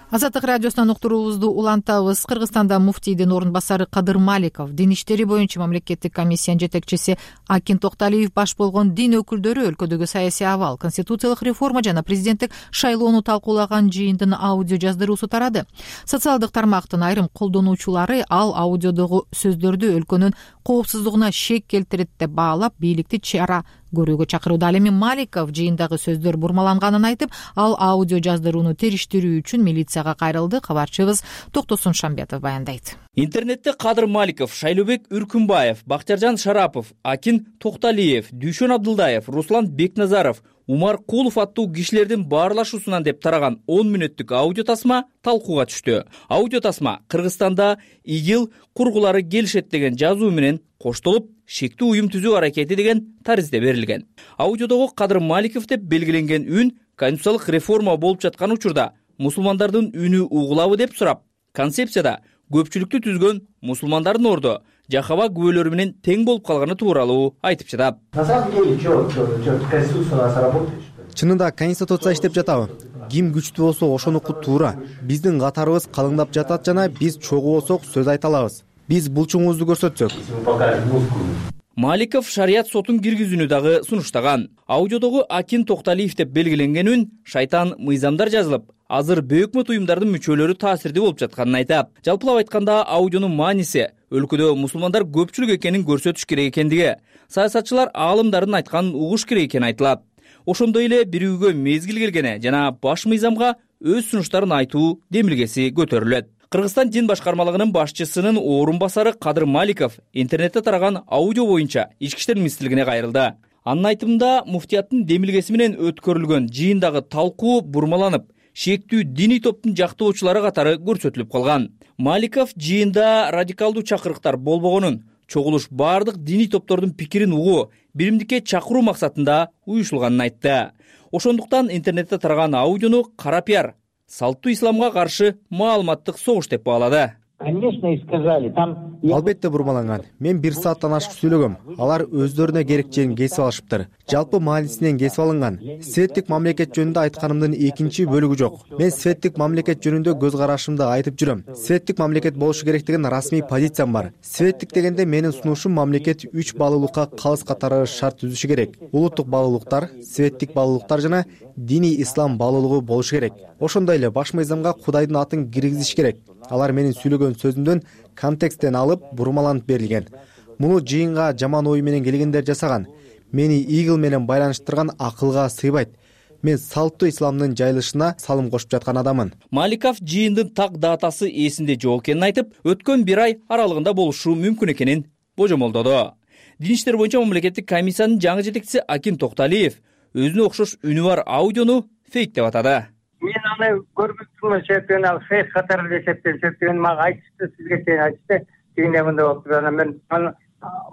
Азаттык радиосунан уктуруубузду улантабыз. Кыргызстанда муфтийдин орун басары Кадыр Маликов, дин иштери боюнча мамлекеттик комиссиянын жетекчиси Акин Токталиев баш болгон дин өкүлдөрү өлкөдөгү саясий абал, конституциялык реформа жана президенттик шайлоону талкуулаган жыйындын аудио жаздыруусу тарады. Социалдык тармактын айрым колдонуучулары ал аудиодогу сөздөрдү өлкөнүн коопсуздугуна шек келтирет деп баалап, бийликти чара көрүүгө чакырууда. Ал эми Маликов жыйындагы сөздөр бурмаланганын айтып, ал аудио жаздырууну териштирүү үчүн милицияга кайрылды. Кабарчыбыз Токтосун Шамбетов баяндайт. Интернетте Кадыр Маликов, Шайлообек Үркүнбаев, Бактияржан Шарапов, Акин Токталиев, Дүйшөн Абдылдаев, Руслан Бекназаров, Умар Кулов аттуу кишилердин баарлашуусунан деп тараган он мүнөттүк аудио тасма талкууга түштү. Аудио тасма Кыргызстанда ИГИЛ кургулары келишет деген жазуу менен коштолуп, шектүү уюм түзүү аракети деген таризде берилген. Аудиодогу Кадыр Маликов деп белгиленген үн конституциялык реформа болуп жаткан учурда мусулмандардын үнү угулабы деп сурап, концепцияда көпчүлүктү түзгөн мусулмандардын ордо жахаба күбөлөрү менен тең болуп калганы тууралуу айтып жатат. На самом деле, что, Конституция у нас работает? Чынында конституция иштеп жатабы? Ким күчтүү болсо ошонуку туура. Биздин катарыбыз калыңдап жатат жана биз чогуу болсок сөз айта алабыз. Биз булчуңубузду көрсөтсөк. Маликов шарият сотун киргизүүнү дагы сунуштаган. Аудиодогу Акин Токталиев деп белгиленген үн шайтан мыйзамдар жазылып, азыр бөкмөт уюмдардын мүчөлөрү таасирдүү болуп жатканын айтат. Жалпылап айтканда, аудионун мааниси өлкөдө мусулмандар көпчүлүк экенин көрсөтүш керек экендиги, саясатчылар аалымдардын айтканын угуш керек экени айтылат. Ошондой эле бир үйгө мезгил келгене жана баш мыйзамга өз сунуштарын айтуу демилгеси көтөрүлөт. Кыргызстан дин башкармалыгынын башчысынын орун басары Кадыр Маликов интернетте тараган аудио боюнча ички иштер министрлигине кайрылды. Анын айтымында, муфтияттын демилгеси менен өткөрүлгөн жыйындагы талкуу бурмаланып, шектүү диний топтун жактоочулары катары көрсөтүлүп калган. Маликов жыйында радикалдуу чакырыктар болбогонун, чогулуш бардык диний топтордун пикирин угуу, биримдикке чакыруу максатында уюшулганын айтты. Ошондуктан интернетте тараган аудиону кара пиар, салттуу исламга каршы маалыматтык согуш деп баалады. Конечно, и сказали, там... Албетте бурмаланган. Мен бир сааттан ашык сүйлөгөм. Алар өздөрүнө керек жерин кесип алышыптыр. Жалпы маанисинен кесип алынган. Светтик мамлекет жөнүндө айтканымдын экинчи бөлүгү жок. Мен светтик мамлекет жөнүндө көз карашымды айтып жүрөм. Светтик мамлекет болушу керек деген расмий позициям бар. Светтик дегенде менин сунушум мамлекет үч баалуулукка калыс катары шарт түзүшү керек. Улуттук баалуулуктар, светтик баалуулуктар жана диний ислам баалуулугу болушу керек. Ошондой эле баш мыйзамга Кудайдын атын киргизиш керек. Алар менин сүйлөгөн сөзүмдөн контексттен алып бурмаланып берилген. Муну жыйынга жаман ой менен келгендер жасаган. Мени игил менен байланыштырган акылга сыйбайт. Мен салттуу исламдын жайылышына салым кошуп жаткан адаммын. Маликов жыйындын так датасы эсинде жок экенин айтып, өткөн бир ай аралыгында болушу мүмкүн экенин божомолдоду. Дин иштер боюнча мамлекеттик комиссиянын жаңы жетекчиси Акин Токталиев өзүнө окшош үнү бар аудиону фейк деп атады. Мен аны көргүзмө себептен ал фейк катары эле эсептейм. Себептен мага айтышты, сизге чейин айтышты. Тигине мындай болуптур. Анан мен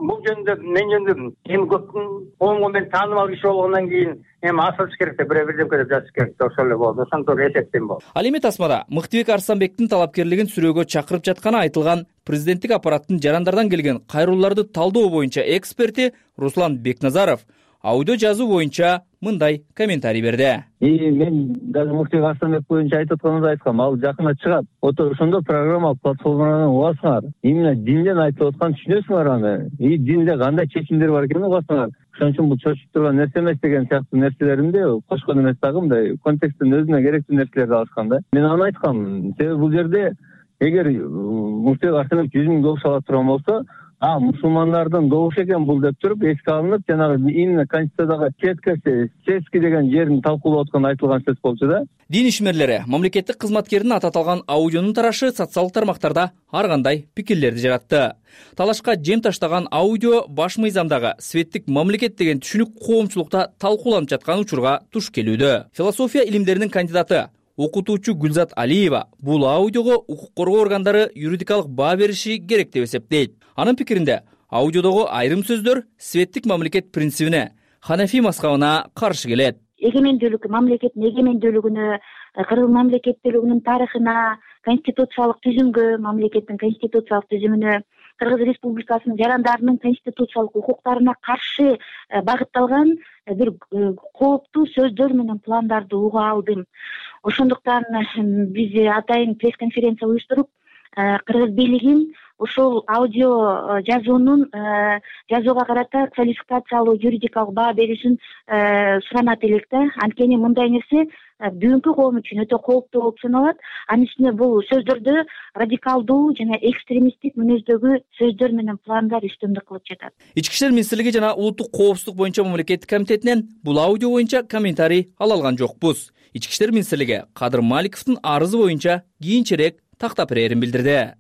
бул жөнүндө мен жөнүндө эми көптүн коомго мен таанымал киши болгондон кийин эми асылыш керек деп бир бирдемке деп жазыш керек деп ошол эле болду. Ошондо эсептейм болду. Ал эми тасмада Мыктыбек Арсанбектин талапкерлигин сүрөөгө чакырып жатканы айтылган президенттик аппараттын жарандардан келген кайрууларды талдоо боюнча эксперти Руслан Бекназаров аудио жазуу боюнча мындай комментарий берди. И мен даже Мыктыбек Арсанбек боюнча айтып атканымды айткам. Ал жакында чыгат. Ото ошондо программа платформадан угасыңар. Именно динден айтып атканын түшүнөсүңөр аны. И динде кандай чечимдер бар экенин угасыңар. Ошон үчүн бул чочуп турган нерсе эмес деген сыяктуу нерселеримди кошкон эмес дагы мындай контексттен өзүнө керектүү нерселерди алышкан да. Мен аны айткам. Себеби бул жерде эгер Мыктыбек Арсанбек жүз миң добуш ала турган болсо, а мусулмандардын добушу экен бул деп туруп эске алынып, жанагы именно конституциядагы четкоси, чески деген жерин талкуулап атканы айтылган сөз болчу да. Дин ишмерлери мамлекеттик кызматкердин аты аталган аудионун тарашы социалдык тармактарда ар кандай пикирлерди жаратты. Талашка жем таштаган аудио баш мыйзамдагы светтик мамлекет деген түшүнүк коомчулукта талкууланып жаткан учурга туш келүүдө. Философия илимдеринин кандидаты окутуучу Гүлзат Алиева бул аудиого укук коргоо органдары юридикалык баа бериши керек деп эсептейт. Анын пикиринде аудиодогу айрым сөздөр светтик мамлекет принцибине, Ханафи мазхабына каршы келет. Эгемендүүлүк, мамлекеттин эгемендүүлүгүнө, кыргыз мамлекеттүүлүгүнүн тарыхына, конституциялык түзүмгө, мамлекеттин конституциялык түзүмүнө, Кыргыз Республикасынын жарандарынын конституциялык укуктарына каршы багытталган бир кооптуу сөздөр менен пландарды уга алдым. Ошондуктан биз атайын пресс-конференция уюштуруп, кыргыз бийлигин ушул аудио жазуунун жазууга карата квалификациялуу юридикалык баа беришин суранат элек да. Анткени мындай нерсе бүгүнкү коом үчүн өтө кооптуу болуп саналат. Анын үстүнө бул сөздөрдө радикалдуу жана экстремисттик мүнөздөгү сөздөр менен пландар үстөмдүк кылып жатат. Ички ишер министрлиги жана улуттук коопсуздук боюнча мамлекеттик комитетинен бул аудио боюнча комментарий ала алган жокпуз. Ички ишер министрлиги Кадыр Маликовдун арызы боюнча кийинчерээк тактап берерин билдирди.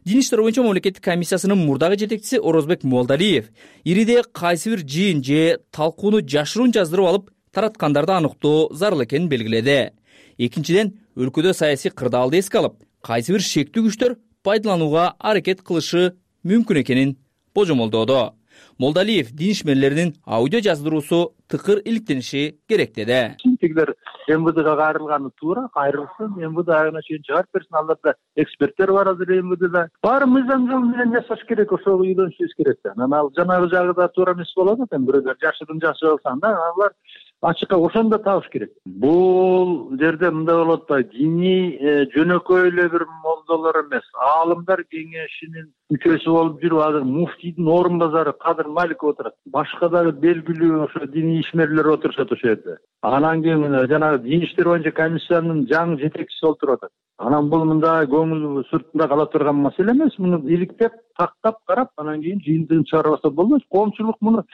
Дин иштер боюнча мамлекеттик комиссиясынын мурдагы жетекчиси Орозбек Молдалиев ириде кайсы бир жыйын же талкууну жашыруун жаздырып алып тараткандарды аныктоо зарыл экенин белгиледи. Экинчиден, өлкөдө саясий кырдаалды эске алып, кайсы бир шектүү күчтөр пайдаланууга аракет кылышы мүмкүн экенин божомолдоодо. Молдалиев дин ишмерлеринин аудио жаздыруусу тыкыр иликтениши керек деди. Тигилер эм вэ дэга кайрылганы туура, кайрылсын, эм вэ дэ айына чейин чыгарып берсин. Аларда эксперттер бар азыр эм вэ дэде. Баары мыйзам жолу менен жасаш керек, ошого үйлөнүшүбүз керек да. Анан ал жанагы жагы да туура эмес болот да, бирөөлөр жашырын жашап алсаң да, алар ачыкка ошондо табыш керек. Бул жерде мындай болуп атпайбы? Диний жөнөкөй эле бир молдолор эмес, аалымдар кеңешинин мүчөсү болуп жүрүп, азыр муфтийдин орун базары Кадыр Маликов отурат. Башка дагы белгилүү ошо диний ишмерлер отурушат ошол жерде. Анан кийин жанагы дин иштер боюнча комиссиянын жаңы жетекчиси отуруп атат. Анан бул мындай көңүл сыртында кала турган маселе эмес. Муну иликтеп, тактап карап, анан кийин жыйынтыгын чыгарбаса болбойт. Коомчулук муну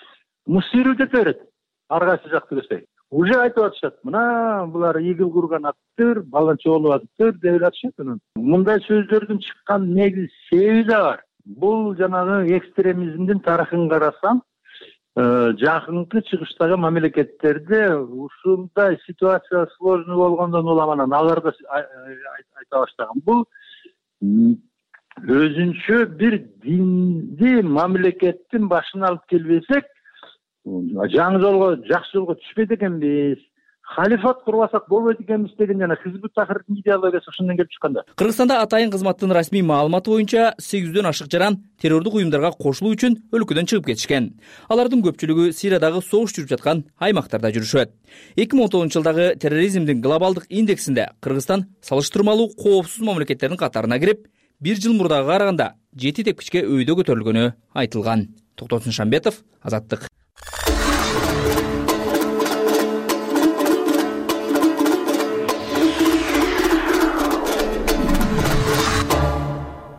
муштирүү деп берет. Ар кайсы жакты көрсөй. Уже айтып атышат. Мына булар игил курган аттыр, баланча болуп атыптыр деп атышат. Мындай сөздөрдүн чыккан негиз себеби да бар. Бул жанагы экстремизмдин тарыхын карасаң, жакынкы чыгыштагы мамлекеттерде ушундай ситуация сложный болгондон улам анан алар да айта баштаган. Бул өзүнчө бир динди мамлекеттин башына алып келбесек, жаңы жолго жакшы жолго түшпөйт экенбиз, халифат курбасак болбойт экенбиз деген жана Хизбут Тахрирдин идеологиясы ошондон келип чыккан да. Кыргызстанда Атайын кызматтын расмий маалыматы боюнча сегиз жүздөн ашык жаран террордук уюмдарга кошулуу үчүн өлкөдөн чыгып кетишкен. Алардын көпчүлүгү Сириядагы согуш жүрүп жаткан аймактарда жүрүшөт. эки миң он тогузунчу жылдагы терроризмдин глобалдык индексинде Кыргызстан салыштырмалуу коопсуз мамлекеттердин катарына кирип, бир жыл мурдага караганда жети тепкичке өйдө көтөрүлгөнү айтылган. Токтосун Шамбетов, Азаттык.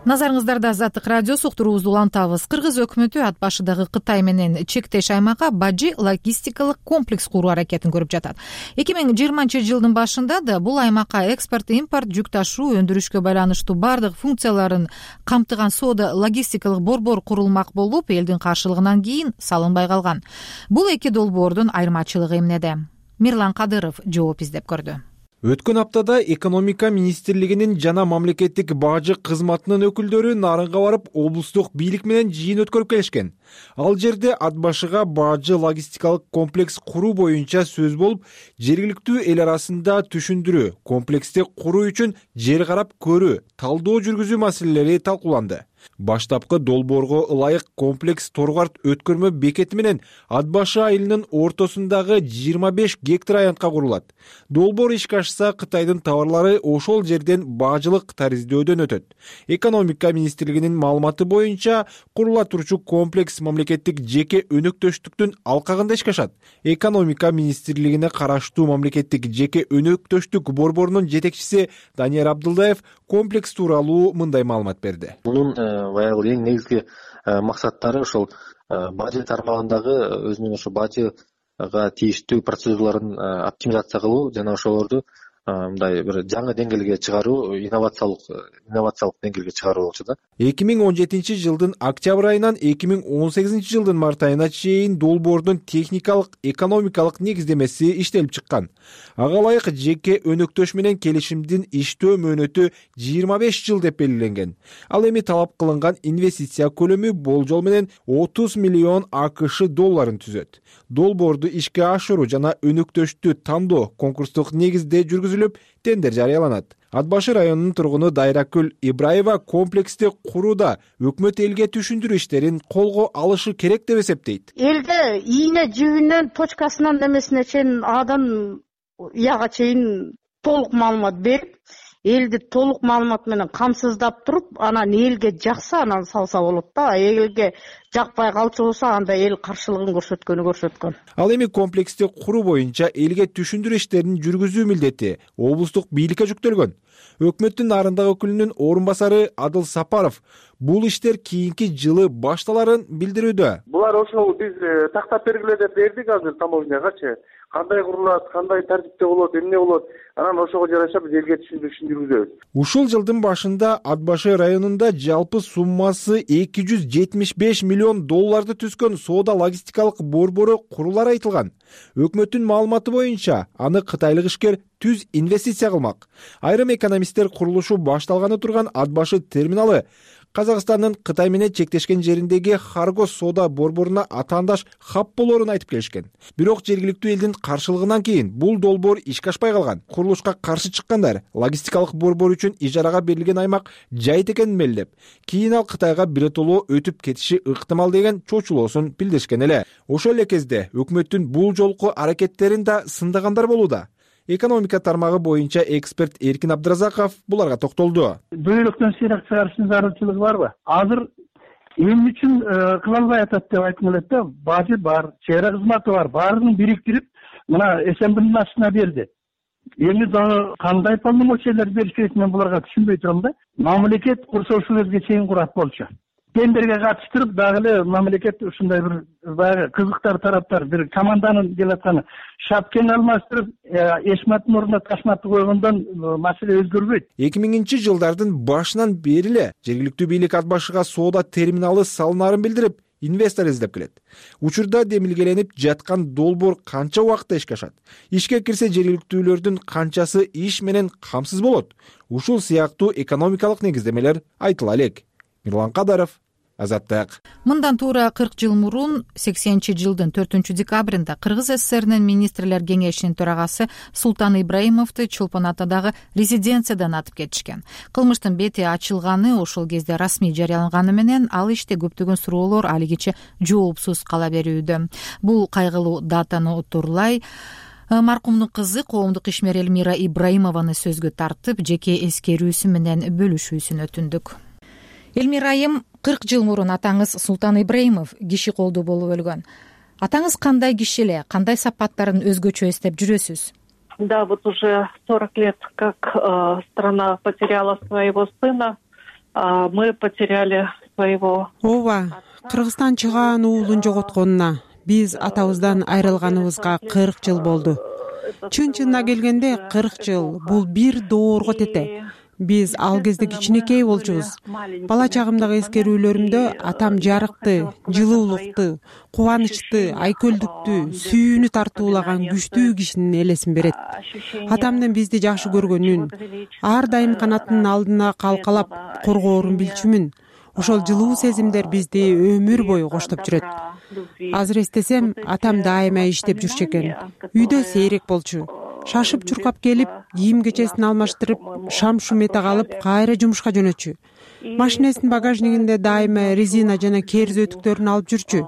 Назарыңыздарда Азаттык радиосу, уктуруубузду улантабыз. Кыргыз өкмөтү ат башыдагы Кытай менен чектеш аймакка Бажы логистикалык комплекс куруу аракетин көрүп жатат. эки миң жыйырманчы жылдын башында да бул аймакка экспорт, импорт, жүк ташуу, өндүрүшкө байланыштуу бардык функцияларын камтыган соода логистикалык борбор курулмак болуп, элдин каршылыгынан кийин салынбай калган. Бул эки долбоордун айырмачылыгы эмнеде? Мирлан Кадыров жооп издеп көрдү. Өткөн аптада экономика министрлигинин жана мамлекеттик бажы кызматынын өкүлдөрү Нарынга барып, облустук бийлик менен жыйын өткөрүп келишкен. Ал жерде ат башыга бажы логистикалык комплекс куруу боюнча сөз болуп, жергиликтүү эл арасында түшүндүрүү, комплексти куруу үчүн жер карап көрүү, талдоо жүргүзүү маселелери талкууланды. Баштапкы долбоорго ылайык комплекс Торгарт өткөрмө бекети менен Ат башы айылынын ортосундагы жыйырма беш гектар аянтка курулат. Долбоор ишке ашса, Кытайдын товарлары ошол жерден бажылык тариздөөдөн өтөт. Экономика министрлигинин маалыматы боюнча, курула турчу комплекс мамлекеттик жеке өнөктөштүктүн алкагында ишке ашат. Экономика министрлигине караштуу мамлекеттик жеке өнөктөштүк борборунун жетекчиси Данияр Абдылдаев комплекс тууралуу мындай маалымат берди. Баягы эң негизги максаттары ошол бажы тармагындагы өзүнүн ошо бажыга тийиштүү процедураларын оптимизация кылуу жана ошолорду мындай бир жаңы деңгээлге чыгаруу, инновациялык инновациялык деңгээлге чыгаруу болчу да. эки миң он жетинчи жылдын октябрь айынан эки миң он сегизинчи жылдын март айына чейин долбоордун техникалык, экономикалык негиздемеси иштелип чыккан. Ага ылайык жеке өнөктөш менен келишимдин иштөө мөөнөтү жыйырма беш жыл деп белгиленген. Ал эми талап кылынган инвестиция көлөмү болжол менен отуз миллион АКШ долларын түзөт. Долбоорду ишке ашыруу жана өнөктөштү тандоо конкурстук негизде жүргүзүлүп, тендер жарыяланат. Ат башы районунун тургуну Дайракүл Ибраева комплексти курууда өкмөт элге түшүндүрүү иштерин колго алышы керек деп эсептейт. Элге ийне жибинен точкасынан немесине чейин Адан яга чейин толук маалымат берип, элди толук маалымат менен камсыздап туруп, анан элге жакса анан салса болот да. Элге жакпай калчу болсо, анда эл каршылыгын көрсөткөнү көрсөткөн. Ал эми комплексти куруу боюнча элге түшүндүрүү иштерин жүргүзүү милдети облустук бийликке жүктөлгөн. Өкмөттүн Нарындагы өкүлүнүн орун басары Адыл Сапаров бул иштер кийинки жылы башталарын билдирүүдө. Булар ошол биз тактап бергиле деп бердик азыр таможнягачы. Кандай курулат, кандай тартипте болот, эмне болот, анан ошого жараша биз элге түшүндүрүбүз. Ушул жылдын башында Ат башы районунда жалпы суммасы эки жүз жетимиш беш миллион долларды түзгөн соода логистикалык борбору курулары айтылган. Өкмөттүн маалыматы боюнча, аны кытайлык ишкер түз инвестиция кылмак. Айрым экономисттер курулушу башталганы турган Ат башы терминалы Казакстандын Кытай менен чектешкен жериндеги Харгос соода борборуна атаандаш хаб болоорун айтып келишкен. Бирок жергиликтүү элдин каршылыгынан кийин бул долбоор ишке ашпай калган. Курулушка каршы чыккандар логистикалык борбор үчүн ижарага берилген аймак жайыт экенин мелдеп, кийин ал Кытайга биротоло өтүп кетиши ыктымал деген чочулоосун билдиришкен эле. Ошол эле кезде өкмөттүн бул жолку аракеттерин да сындагандар болууда. Экономика тармагы боюнча эксперт Эркин Абдыразаков буларга токтолду. Бөйрөктөн сыйрак чыгарыштын зарылчылыгы барбы? Азыр эмне үчүн кыла албай атат деп айткым келет да. Бажы бар, чек ара кызматы бар, баарын бириктирип, мына СМБнын астына берди. Эми дагы кандай полномочиялар бериш керек, мен буларга түшүнбөй турам да. Мамлекет курса ушул жерге чейин курат болчу. Тендерге катыштырып, дагы эле мамлекет ушундай бир баягы кызыктар тараптар бир команданын келатканы шапкени алмаштырып, эшматтын ордуна ташматты койгондон маселе өзгөрбөйт. эки миңинчи жылдардын башынан бери эле жергиликтүү бийлик Ат башыга соода терминалы салынаарын билдирип, инвестор издеп келет. Учурда демилгеленип жаткан долбоор канча убакытта ишке ашат? Ишке кирсе жергиликтүүлөрдүн канчасы иш менен камсыз болот? Ушул сыяктуу экономикалык негиздемелер айтыла элек. Мирлан Кадаров, Азаттык. Мындан туура кырк жыл мурун сексенинчи жылдын төртүнчү декабрында Кыргыз ССРнин министрлер кеңешинин төрагасы Султан Ибраимовду Чолпон атадагы резиденциядан атып кетишкен. Кылмыштын бети ачылганы ошол кезде расмий жарыяланганы менен ал иште көптөгөн суроолор алигиче жоопсуз кала берүүдө. Бул кайгылуу датаны утурлай маркумдун кызы коомдук ишмер Элмира Ибраимованы сөзгө тартып, жеке эскерүүсү менен бөлүшүүсүн өтүндүк. Элмира айым, кырк жыл мурун атаңыз Султан Ибраимов киши колдуу болуп өлгөн. Атаңыз кандай киши эле, кандай сапаттарын өзгөчө эстеп жүрөсүз? Да, вот уже сорок лет, как э, страна потеряла своего сына, а мы потеряли своего. Ооба, Кыргызстан чыгаан уулун жоготконуна, биз атабыздан айрылганыбызга кырк жыл болду. Чын чынына келгенде кырк жыл бул бир доорго тете. Биз ал кезде кичинекей болчубуз. Бала чагымдагы эскерүүлөрүмдө атам жарыкты, жылуулукту, кубанычты, айкөлдүктү, сүйүүнү тартуулаган күчтүү кишинин элесин берет. Атамдын бизди жакшы көргөнүн, ар дайым канатынын алдына калкалап коргоорун билчүмүн. Ошол жылуу сезимдер бизди өмүр бою коштоп жүрөт. Азыр эстесем, атам дайыма иштеп жүрчү экен. Үйдө сейрек болчу. Шашып чуркап келип, кийим кечесин алмаштырып, шам шум эте калып, кайра жумушка жөнөтчү. Машинесинин багажнигинде дайыма резина жана керз өтүктөрүн алып жүрчү.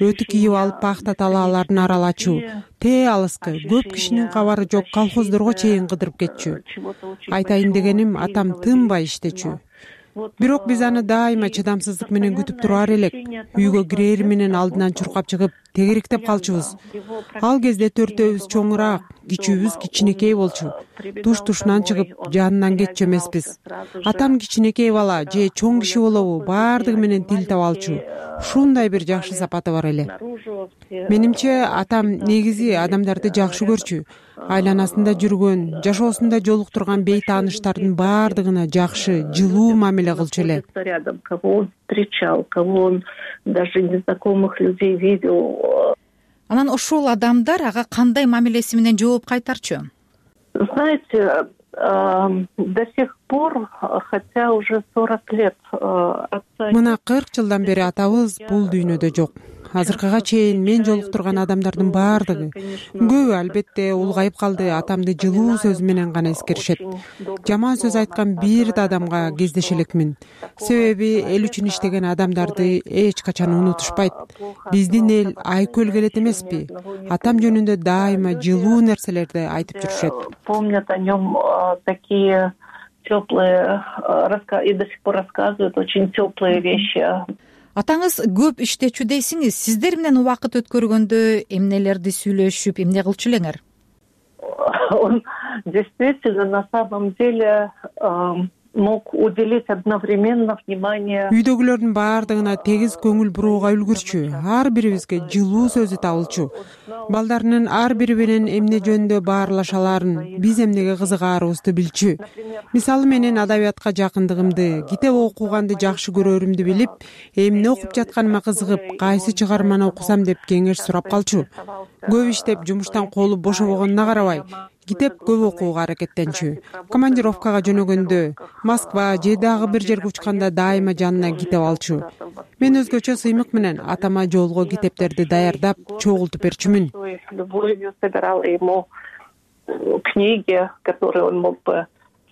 Өтүк кийип алып пахта талааларын аралачу. Тээ алыскы, көп кишинин кабары жок колхоздорго чейин кыдырып кетчү. Айтайын дегеним, атам тынбай иштечү. Бирок биз аны дайыма чыдамсыздык менен күтүп турар элек. Үйгө кирери менен алдынан чуркап чыгып, тегеректеп калчубуз. Ал кезде төртөөбүз чоңураак, кичүүбүз кичинекей болчу. Туш-тушунан чыгып, жанынан кетчү эмеспиз. Атам кичинекей бала же чоң киши болобу, баардыгы менен тил таба алчу. Ушундай бир жакшы сапаты бар эле. Менимче, атам негизи адамдарды жакшы көрчү. Айланасында жүргөн, жашоосунда жолуктурган бейтааныштардын баардыгына жакшы, жылуу мамиле кылчу эле. Рядом, кого он встречал, кого он даже незнакомых людей видел. Анан ошол адамдар ага кандай мамилеси менен жооп кайтарчу? Знаете, до сих пор, хотя уже сорок лет отца. Мына кырк жылдан бери атабыз бул дүйнөдө жок. Азыркыга чейин мен жолуктурган адамдардын баардыгы, көбү албетте улгайып калды, атамды жылуу сөз менен гана эскеришет. Жаман сөз айткан бир да адамга кездеше элекмин. Себеби эл үчүн иштеген адамдарды эч качан унутушпайт. Биздин эл айкөл келет эмеспи? Атам жөнүндө дайыма жылуу нерселерди айтып жүрүшөт. Помнят о нем такие теплые и до сих пор рассказывают очень теплые вещи. Атаңыз көп иштечү дейсиңиз. Сиздер менен убакыт өткөргөндө эмнелерди сүйлөшүп, эмне кылчу элеңер? Он действительно на самом деле мог уделить одновременно внимание. Үйдөгүлөрдүн баардыгына тегиз көңүл бурууга үлгүрчү. Ар бирибизге жылуу сөзү табылчу. Балдарынын ар бири менен эмне жөнүндө баарлашаларын, биз эмнеге кызыгаарыбызды билчү. Мисалы менен адабиятка жакындыгымды, китеп окуганды жакшы көрөрүмдү билип, эмне окуп жатканыма кызыгып, кайсы чыгарманы окусам деп кеңеш сурап калчу. Көп иштеп жумуштан колу бошобогонуна карабай, китеп көп окууга аракеттенчү. Командировкага жөнөгөндө, Москва же дагы бир жерге учканда дайыма жанына китеп алчу. Мен өзгөчө сыймык менен атама жолго китептерди даярдап, чогултуп берчүмүн. Любовью собирала ему книги, которые он мог бы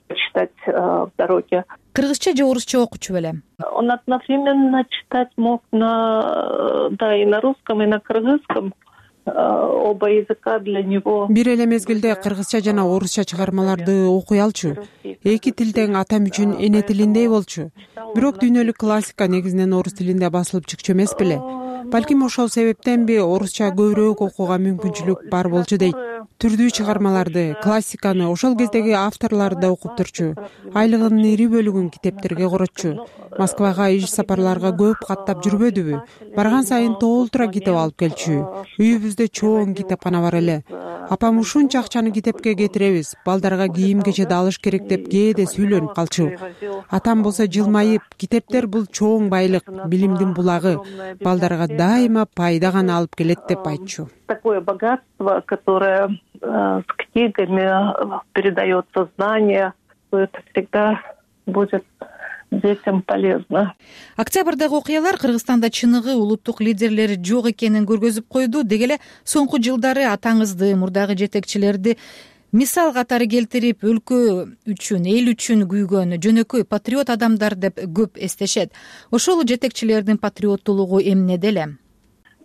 читать в дороге. Кыргызча же орусча окучу белем? Он одновременно читать мог на, да, и на русском, и на кыргызском. Оба языка для него. Бир эле мезгилде кыргызча жана орусча чыгармаларды окуй алчу. Эки тил тең атам үчүн эне тилиндей болчу. Бирок дүйнөлүк классика негизинен орус тилинде басылып чыкчу эмес беле. Балким ошол себептенби орусча көбүрөөк окууга мүмкүнчүлүк бар болчу дейт. Түрдүү чыгармаларды, классиканы ошол кездеги авторлор да окуп турчу. Айлыгынын ири бөлүгүн китептерге коротчу. Москвага иш сапарларга көп каттап жүрбөдүбү? Барган сайын толтура китеп алып келчү. Үйүбүздө чоң китепкана бар эле. Апам ушунча акчаны китепке кетиребиз, балдарга кийим кечеди алыш керек деп кээде сүйлөнүп калчу. Атам болсо жылмайып, китептер бул чоң байлык, билимдин булагы, балдарга дайыма пайда гана алып келет деп айтчу. Такое богатство, которое э, с книгами передается знание, это всегда будет детям полезно. Октябрдагы окуялар Кыргызстанда чыныгы улуттук лидерлер жок экенин көргөзүп койду. Деги эле соңку жылдары атаңызды, мурдагы жетекчилерди мисал катары келтирип, өлкө үчүн, эл үчүн күйгөн жөнөкөй патриот адамдар деп көп эстешет. Ошол жетекчилердин патриоттуулугу эмнеде эле?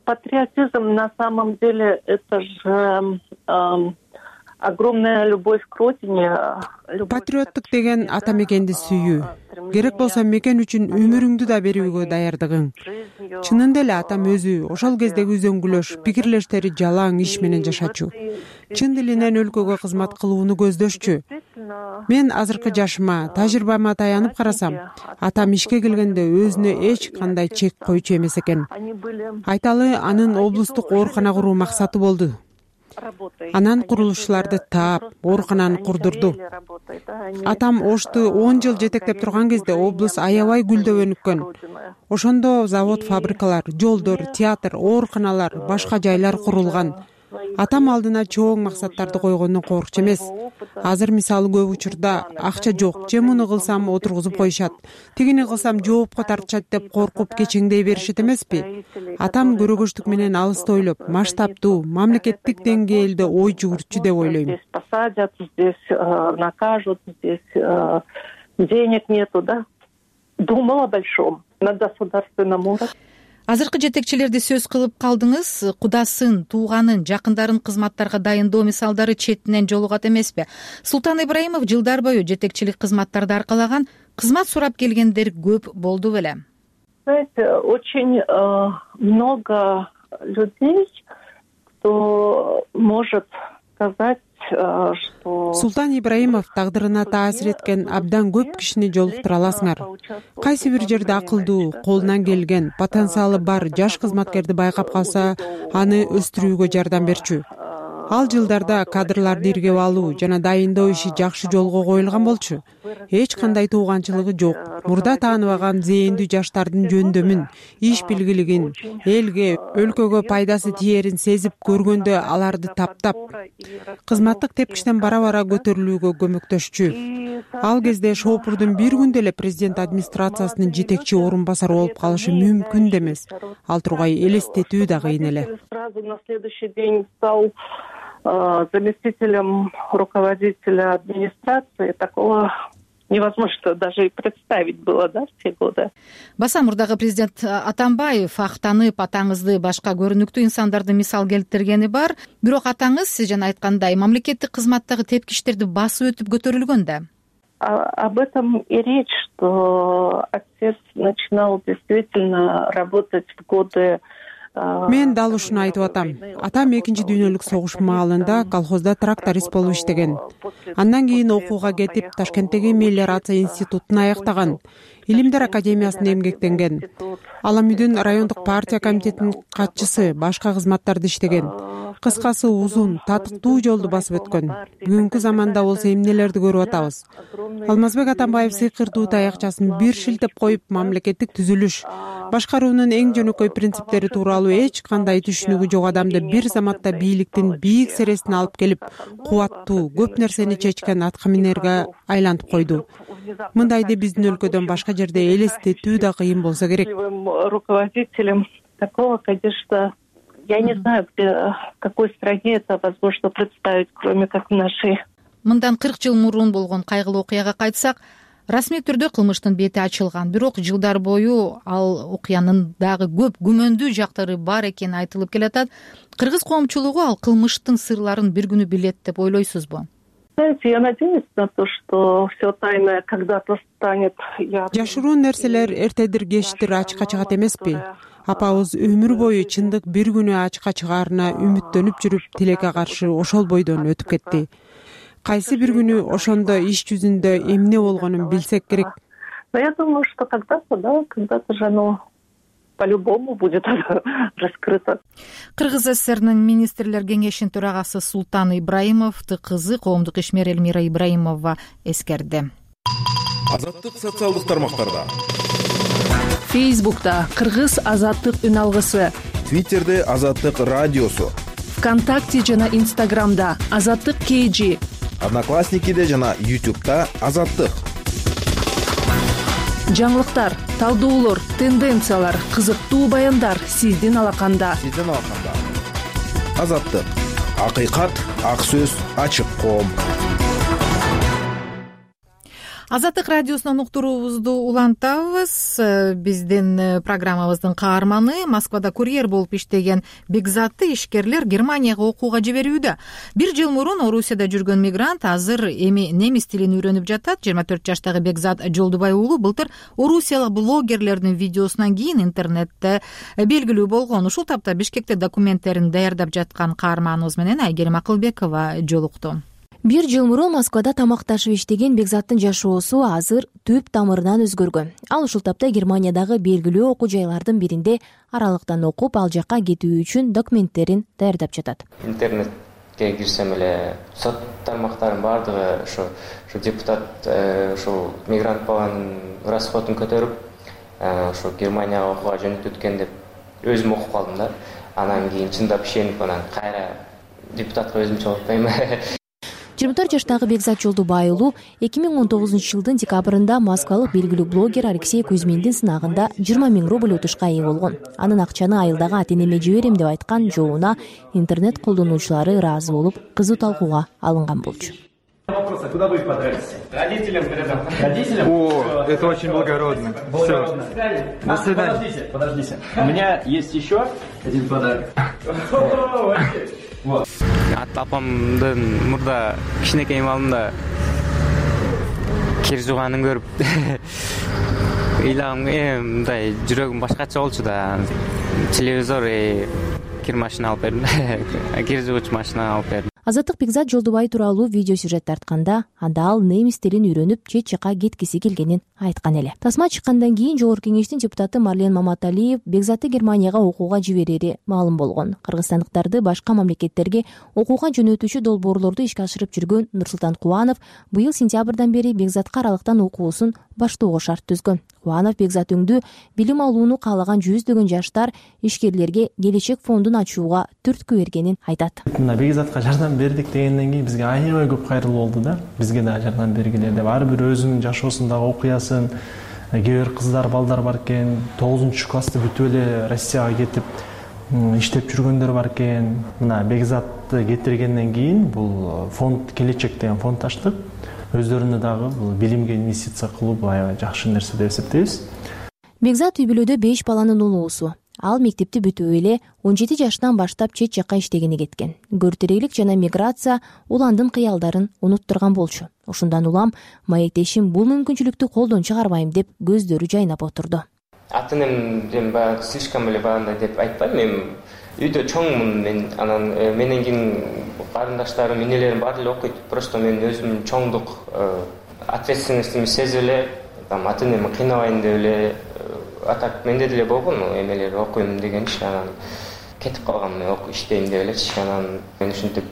Патриотизм на самом деле это же э, огромная любовь к родине. Патриоттук деген ата мекенди сүйүү. Керек болсо мекен үчүн өмүрүңдү да берүүгө даярдыгың. Чынында эле атам өзү ошол кездеги үзөңгүлөш, пикирлештери жалаң иш менен жашачу. Чын дилинен өлкөгө кызмат кылууну көздөшчү. Мен азыркы жашыма, тажрыйбама таянып карасам, атам ишке келгенде өзүнө эч кандай чек койчу эмес экен. Айталы, анын облустук оорукана куруу максаты болду. Анан курулушчуларды таап, оорукананы курдурду. Атам Ошту он жыл жетектеп турган кезде облус аябай гүлдөп өнүккөн. Ошондо завод, фабрикалар, жолдор, театр, ооруканалар, башка жайлар курулган. Атам алдына чоң максаттарды койгондон коркчу эмес. Азыр мисалы көп учурда акча жок, же муну кылсам отургузуп коюшат, тигини кылсам жоопко тартышат деп коркуп кечеңдей беришет эмеспи? Атам көрөгөчтүк менен алысты ойлоп, масштабдуу, мамлекеттик деңгээлде ой жүгүртчү деп ойлойм. Здесь посадят, здесь э, накажут, здесь э, денег нету, да? Думал о большом, на государственном уровне. Азыркы жетекчилерди сөз кылып калдыңыз. Кудасын, тууганын, жакындарын кызматтарга дайындоо мисалдары четинен жолугат эмеспи? Султан Ибраимов жылдар бою жетекчилик кызматтарды аркалаган, кызмат сурап келгендер көп болду беле? Знаете, очень э, много людей, кто может сказать, что... Султан Ибраимов тагдырына таасир эткен абдан көп кишини жолуктура аласыңар. Кайсы бир жерде акылдуу, колунан келген, потенциалы бар жаш кызматкерди байкап калса, аны өстүрүүгө жардам берчү. Ал жылдарда кадрларды иргеп алуу жана дайындоо иши жакшы жолго коюлган болчу. Эч кандай тууганчылыгы жок. Мурда тааныбаган зээндүү жаштардын жөндөмүн, иш билгилигин, элге, өлкөгө пайдасы тиерин сезип көргөндө аларды таптап, кызматтык тепкичтен бара-бара көтөрүлүүгө көмөктөшчү. Ал кезде Шоопурдун бир күндө эле президент администрациясынын жетекчи орун басары болуп калышы мүмкүн да эмес. Ал тургай элестетүү да кыйын эле. Заместителем руководителя администрации, такого невозможно даже и представить было, да, в те годы. Баса мурдагы президент Атамбаев актанып атаңызды башка көрүнүктүү инсандарды мисал келтиргени бар. Бирок атаңыз сиз жана айткандай мамлекеттик кызматтагы тепкичтерди басып өтүп көтөрүлгөн да. Об этом и речь, что отец начинал действительно работать в годы. Мен дал ушуну айтып атам. Атам экинчи дүйнөлүк согуш маалында колхозда тракторист болуп иштеген. Андан кийин окууга кетип, Ташкенттеги мелиорация институтун аяктаган. Илимдер академиясында эмгектенген. Аламүдүн райондук партия комитетинин катчысы, башка кызматтарды иштеген. Кыскасы узун, татыктуу жолду басып өткөн. Бүгүнкү заманда болсо эмнелерди көрүп атабыз. Алмазбек Атамбаев сыйкырдуу таякчасын бир шилтеп коюп, мамлекеттик түзүлүш, башкаруунун эң жөнөкөй принциптери тууралуу эч кандай түшүнүгү жок адамды бир заматта бийликтин бийик сересине алып келип, кубаттуу, көп нерсени чечкен аткаминерге айлантып койду. Мындайды биздин өлкөдөн башка жерде элестетүү да кыйын болсо керек. Руководителем такого, конечно, я не знаю, где, в какой стране это возможно представить, кроме как в нашей. Мындан кырк жыл мурун болгон кайгылуу окуяга кайтсак, расмий түрдө кылмыштын бети ачылган. Бирок жылдар бою ал окуянын дагы көп күмөндүү жактары бар экени айтылып келатат. Кыргыз коомчулугу ал кылмыштын сырларын бир күнү билет деп ойлойсузбу? Знаете, я надеюсь на то, что все тайное когда-то станет. Жашыруун нерселер эртедир кечтир ачыкка чыгат эмеспи? Апабыз өмүр бою чындык бир күнү ачыкка чыгаарына үмүттөнүп жүрүп, тилекке каршы ошол бойдон өтүп кетти. Кайсы бир күнү ошондо иш жүзүндө эмне болгонун билсек керек. Но я думаю, что когда-то, да, когда-то же оно по-любому будет раскрыто. Кыргыз ССРнын министрлер кеңешинин төрагасы Султан Ибраимовду кызы коомдук ишмер Элмира Ибраимова эскерди. Азаттык социалдык тармактарда. Фейсбукта Кыргыз азаттык үн алгысы, Твиттерде Азаттык радиосу, ВКонтакте жана Инстаграмда Азаттык кей жи, Одноклассникиде жана Ютубта Азаттык. жаңылыктар, талдоолор, тенденциялар, кызыктуу баяндар сиздин алаканда. Сиздин алаканда. Азаттык. Акыйкат, ак сөз, ачык коом. Азаттык радиосунан уктуруубузду улантабыз. Биздин программабыздын каарманы Москвада курьер болуп иштеген Бекзатты ишкерлер Германияга окууга жиберүүдө. Бир жыл мурун Орусияда жүргөн мигрант азыр эми немис тилин үйрөнүп жатат. жыйырма төрт жаштагы Бекзат Жолдубай уулу былтыр орусиялык блогерлердин видеосунан кийин интернетте белгилүү болгон. Ушул тапта Бишкекте документтерин даярдап жаткан каарманыбыз менен Айгерим Акылбекова жолукту. Бир жыл мурун Москвада тамакташып иштеген Бекзаттын жашоосу азыр түп тамырынан өзгөргөн. Ал ушул тапта Германиядагы белгилүү окуу жайлардын биринде аралыктан окуп, ал жакка кетүү үчүн документтерин даярдап жатат. Интернетке кирсем эле сот тармактарынын баардыгы ошо ушу депутат ушул мигрант баланын расходун көтөрүп, ошо Германияга окууга жөнөтүп өткөн деп өзүм окуп калдым да. Анан кийин чындап ишенип анан кайра депутатка өзүм чогулуп коймун. жыйырма төрт жаштагы Бекзат Жолдубай уулу эки миң он тогузунчу жылдын декабрында москвалык белгилүү блогер Алексей Кузьминдин сынагында жыйырма миң рубль утушка ээ болгон. Анын акчаны айылдагы ата-энеме жиберем деп айткан жообуна интернет колдонуучулары ыраазы болуп, кызуу талкууга алынган болчу. Куда вы подались? Родителям передам. Родителям? О, это очень благородно. Благородно. До свидания. Подождите, подождите. У меня есть еще один подарок. Вот. Ата апамдын мурда кичинекей малында кир жууганын көрүп ыйлагым мындай жүрөгүм башкача болчу да. Телевизор, кир машина алып бердим. Кир жуугуч машина алып бердим. Азаттык Бекзат Жолдубай тууралуу видео сюжет тартканда анда ал немис тилин үйрөнүп, чет жакка кеткиси келгенин айткан эле. Тасма чыккандан кийин Жогорку кеңештин депутаты Марлен Маматалиев Бекзатты Германияга окууга жиберери маалым болгон. Кыргызстандыктарды башка мамлекеттерге окууга жөнөтүүчү долбоорлорду ишке ашырып жүргөн Нурсултан Кубанов быйыл сентябрдан бери Бекзатка аралыктан окуусун баштоого шарт түзгөн. Кубанов Бекзат өңдү билим алууну каалаган жүздөгөн жаштар ишкерлерге келечек фондун ачууга түрткү бергенин айтат. Мына Бекзатка жардам бердик дегенден кийин бизге аябай көп кайрылуу болду да. Бизге да жардам бергиле деп ар бир өзүнүн жашоосундагы окуясын, кээ бир кыздар, балдар бар экен, тогузунчу классты бүтүп эле Россияга кетип иштеп жүргөндөр бар экен. Мына Бекзатты кетиргенден кийин бул фонд келечек деген фонд ачтык. Өздөрүнө дагы бул билимге инвестиция кылуу аябай жакшы нерсе деп эсептейбиз. Бекзат үй бүлөдө беш баланын улуусу. Ал мектепти бүтүп эле он жети жаштан баштап чет жакка иштегени кеткен. Көртөрөйлүк жана миграция уландын кыялдарын унуттурган болчу. Ошондон улам маектешим бул мүмкүнчүлүктү колдон чыгарбайм деп көздөрү жайнап отурду. Ата-энем баягы слишком эле баандай деп айтпайм. Мен үйдө чоңмун, мен анан менен кийин карындаштарым, энелерим баары эле окуйт. Просто мен өзүм чоңдук ответственностьту сезип эле, ата-энеми кыйнабайын деп эле, атак менде деле болгон эмелер окуйм дегенчи, анан кетип калгам, мен окуп иштейм деп элечи. Анан мен ушинтип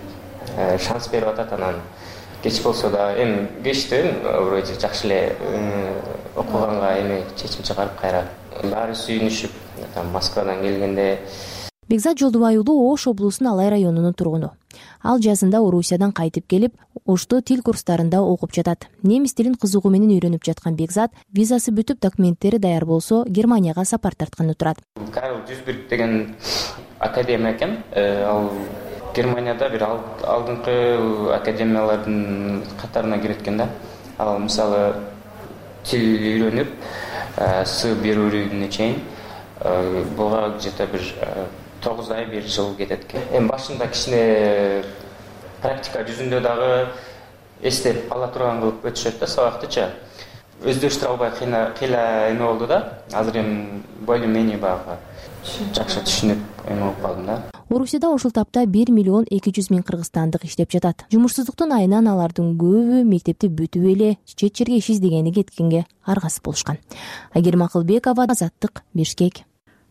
шанс берип атат, анан кеч болсо да эми кечти вроде жакшы эле окуганга эме чечим чыгарып кайра баары сүйүнүшүп Москвадан келгенде. Бекзат Жолдубай уулу Ош облусунун Алай районунун тургуну. Ал жазында Орусиядан кайтып келип, Ошто тил курстарында окуп жатат. Немис тилин кызыгуу менен үйрөнүп жаткан Бекзат визасы бүтүп, документтери даяр болсо, Германияга сапар тартканы турат. Карл Дюсберг деген академия экен. Ал Германияда бир алдыңкы академиялардын катарына кирет экен да. Ал мисалы тил үйрөнүп, С берүүнү чейин буга где-то бир тогуз ай, бир жыл кетет экен. Эми башында кичине практика жүзүндө дагы эстеп ала турган кылып өтүшөт да сабактычы. Өздөштүрө албай кыйла эме болду да. Азыр эми более-менее багы жакшы түшүнүп эме болуп калдым да. Орусияда ушул тапта бир миллион эки жүз миң кыргызстандык иштеп жатат. Жумушсуздуктун айынан алардын көбү мектепти бүтүп эле чет жерге иш издегени кеткенге аргасыз болушкан. Айгерим Акылбекова, Азаттык, Бишкек.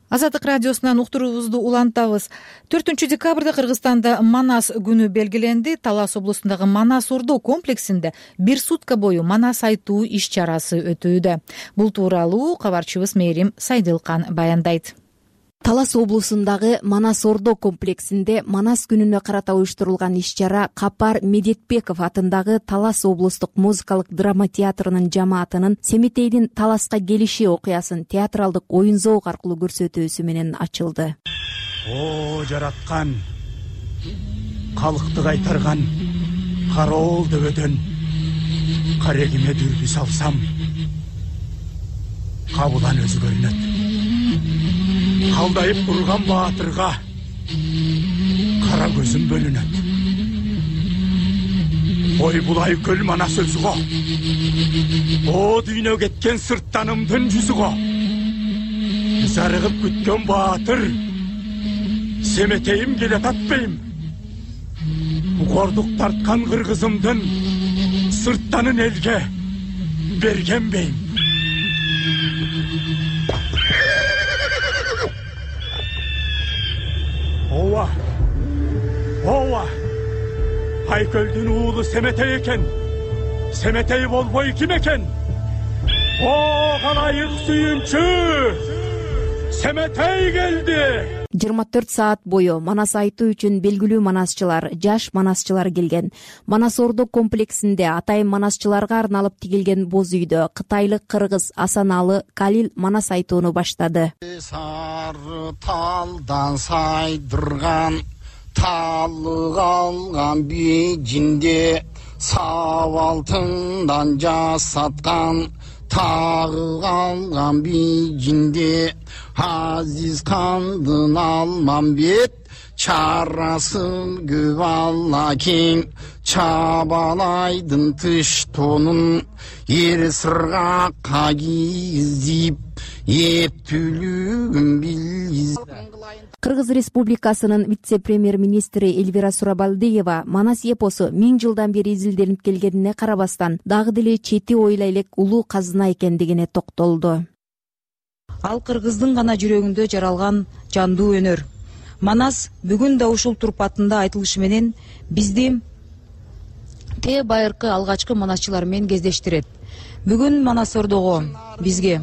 Азаттык радиосунан уктуруубузду улантабыз. төртүнчү декабрда Кыргызстанда Манас күнү белгиленди. Талас облусундагы Манас Ордо комплексинде бир сутка бою Манас айтуу иш чарасы өтүүдө. Бул тууралуу кабарчыбыз Мээрим Сайдылкан баяндайт. Талас облусундагы Манас Ордо комплексинде Манас күнүнө карата уюштурулган иш-чара Капар Медетбеков атындагы Талас облустук музыкалык драма театрынын жамаатынын Семетейдин Таласка келиши окуясын театралдык оюн зоок аркылуу көрсөтүүсү менен ачылды. О жараткан, калкты кайтарган кароол дөбөдөн карегиме дүрбү салсам, кабылан өзү көрүнөт. Калдайып турган баатырга кара көзүм бөлүнөт. Ой булай көл Манас өзүгө, о дүйнө кеткен сырттанымдын жүзүгө. Зарыгып күткөн баатыр Семетейим келет атпайм. Укордук тарткан кыргызымдын сырттанын элге бергенбейм. Ооба, ооба, Айкөлдүн уулу Семетей экен. Семетей болбой ким экен? О калайык сүйүнчү, Семетей келди. жыйырма төрт саат бою Манас айтуу үчүн белгилүү манасчылар, жаш манасчылар келген. Манас Ордо комплексинде атайын манасчыларга арналып тигилген боз үйдө кытайлык кыргыз Асаналы Калил Манас айтууну баштады. Сары талдан сайдырган, талык алган бежинде, сап алтындан жасаткан, тагы алган бежинде, Азиз кандын Алмамбет, чарасын көп алла кең, Чабалайдын тыш тонун, эр сыргакка кийгизип, эптүүлүгүн билгиз. Кыргыз Республикасынын вице-премьер-министри Эльвира Сурабалдиева Манас эпосу миң жылдан бери изилденип келгенине карабастан, дагы деле чети ойла элек улуу казына экендигине токтолду. Ал кыргыздын гана жүрөгүндө жаралган жандуу өнөр. Манас бүгүн да ушул турпатында айтылышы менен бизди те байыркы алгачкы манасчылар менен кездештирет. Бүгүн Манас Ордого бизге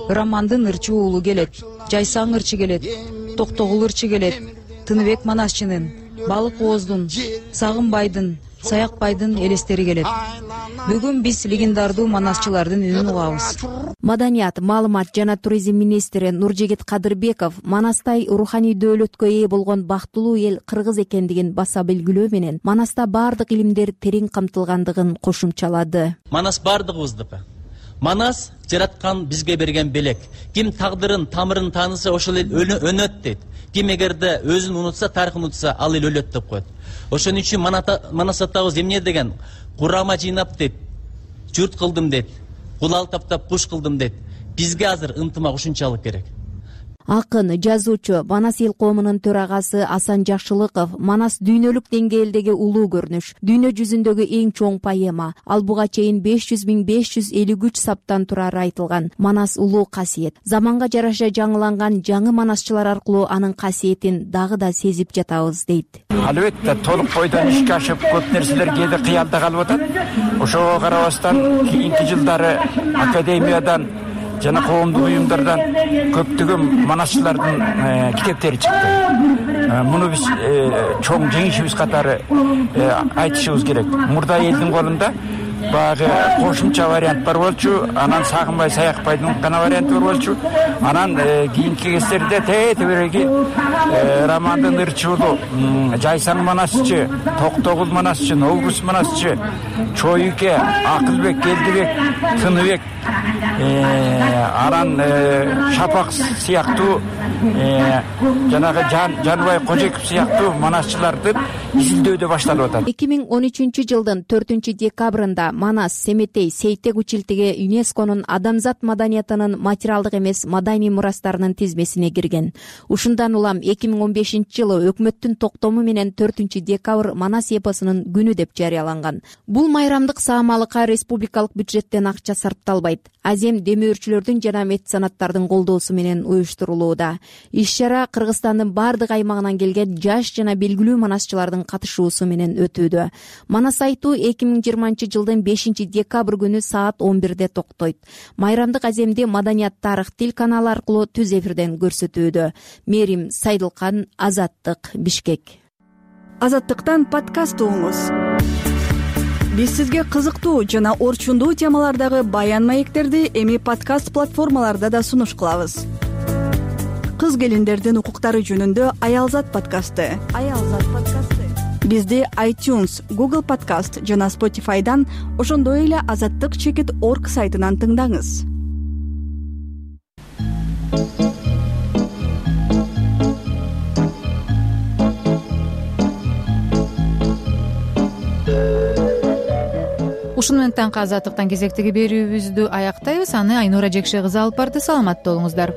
Романдын ырчы уулу келет, Жайсаң ырчы келет, Токтогул ырчы келет, Тыныбек Манасчынын, Балык Ооздун, Сагынбайдын, Саякбайдын элестери келет. Бүгүн биз легендардуу манасчылардын үнүн угабыз. Маданият, маалымат жана туризм министри Нуржегет Кадырбеков Манастай руханий дөөлөткө ээ болгон бактылуу эл кыргыз экендигин баса белгилөө менен Манаста баардык илимдер терең камтылгандыгын кошумчалады. Манас баардыгыбыздыкы. Манас жараткан бизге берген белек. Ким тагдырын, тамырын тааныса ошол эл өнөт дейт. Ким эгерде өзүн унутса, тарыхын унутса, ал эл өлөт деп коет. Ошон үчүн Манас атабыз эмне деген? Курама жыйнап дейт, журт кылдым дейт, кулал таптап куш кылдым дейт. Бизге азыр ынтымак ушунчалык керек. Акын, жазуучу, Манас эл коомунун төрагасы Асан Жакшылыков Манас дүйнөлүк деңгээлдеги улуу көрүнүш, дүйнө жүзүндөгү эң чоң поэма. Ал буга чейин беш жүз миң беш жүз элүү үч саптан турары айтылган. Манас улуу касиет. Заманга жараша жаңыланган жаңы манасчылар аркылуу анын касиетин дагы да сезип жатабыз дейт. Албетте толук бойдон ишке ашып көп нерселер кээде кыялда калып атат. Ошого карабастан кийинки жылдары академиядан жана коомдук уюмдардан көптөгөн манасчылардын китептери чыкты. Муну биз чоң жеңишибиз катары айтышыбыз керек. Мурда элдин колунда багы кошумча вариант бар болчу, анан Сагынбай Саякбайдын гана варианты бар болчу. Анан кийинки кездерде тетебереги Романдын ырчы уулу, Жайсаң манасчы, Токтогул манасчы, Новгус манасчы, Чоюке, Акылбек, Келдибек, Тыныбек, анан Шапак сыяктуу, жанагы Жаныбай Кожеков сыяктуу манасчыларды изилдөөдө башталып атат. эки миң он үчүнчү жылдын төртүнчү декабрында Манас, Семетей, Сейтек училтиги ЮНЕСКОнун адамзат маданиятынын материалдык эмес маданий мурастарынын тизмесине кирген. Ушундан улам эки миң он бешинчи жылы өкмөттүн токтому менен төртүнчү декабрь Манас эпосунун күнү деп жарыяланган. Бул майрамдык саамалыкка республикалык бюджеттен акча сарпталбайт. Азем демөөрчүлөрдүн жана меценаттардын колдоосу менен уюштурулууда. Иш чара Кыргызстандын бардык аймагынан келген жаш жана белгилүү манасчылардын катышуусу менен өтүүдө. Манас айтуу эки миң жыйырманчы жылдын бешинчи декабрь күнү саат он бирде токтойт. Майрамдык аземди Маданият тарых тил каналы аркылуу түз эфирден көрсөтүүдө. Мерим Сайдылкан, Азаттык, Бишкек. Азаттыктан подкаст угуңуз. Биз сизге кызыктуу жана орчундуу темалардагы баян маектерди эми подкаст платформаларда да сунуш кылабыз. Кыз келиндердин укуктары жөнүндө Аялзат подкасты. Аялзат подкасты. Бизди iTunes, Google Podcast жана Spotify'дан, ошондой эле азаттык чекит точка орг сайтынан тыңдаңыз. Ушуну менен таңкы азаттыктан кезектеги берүүбүздү аяктайбыз. Аны Айнура Жекше кызы алып барды. Саламатта болуңуздар.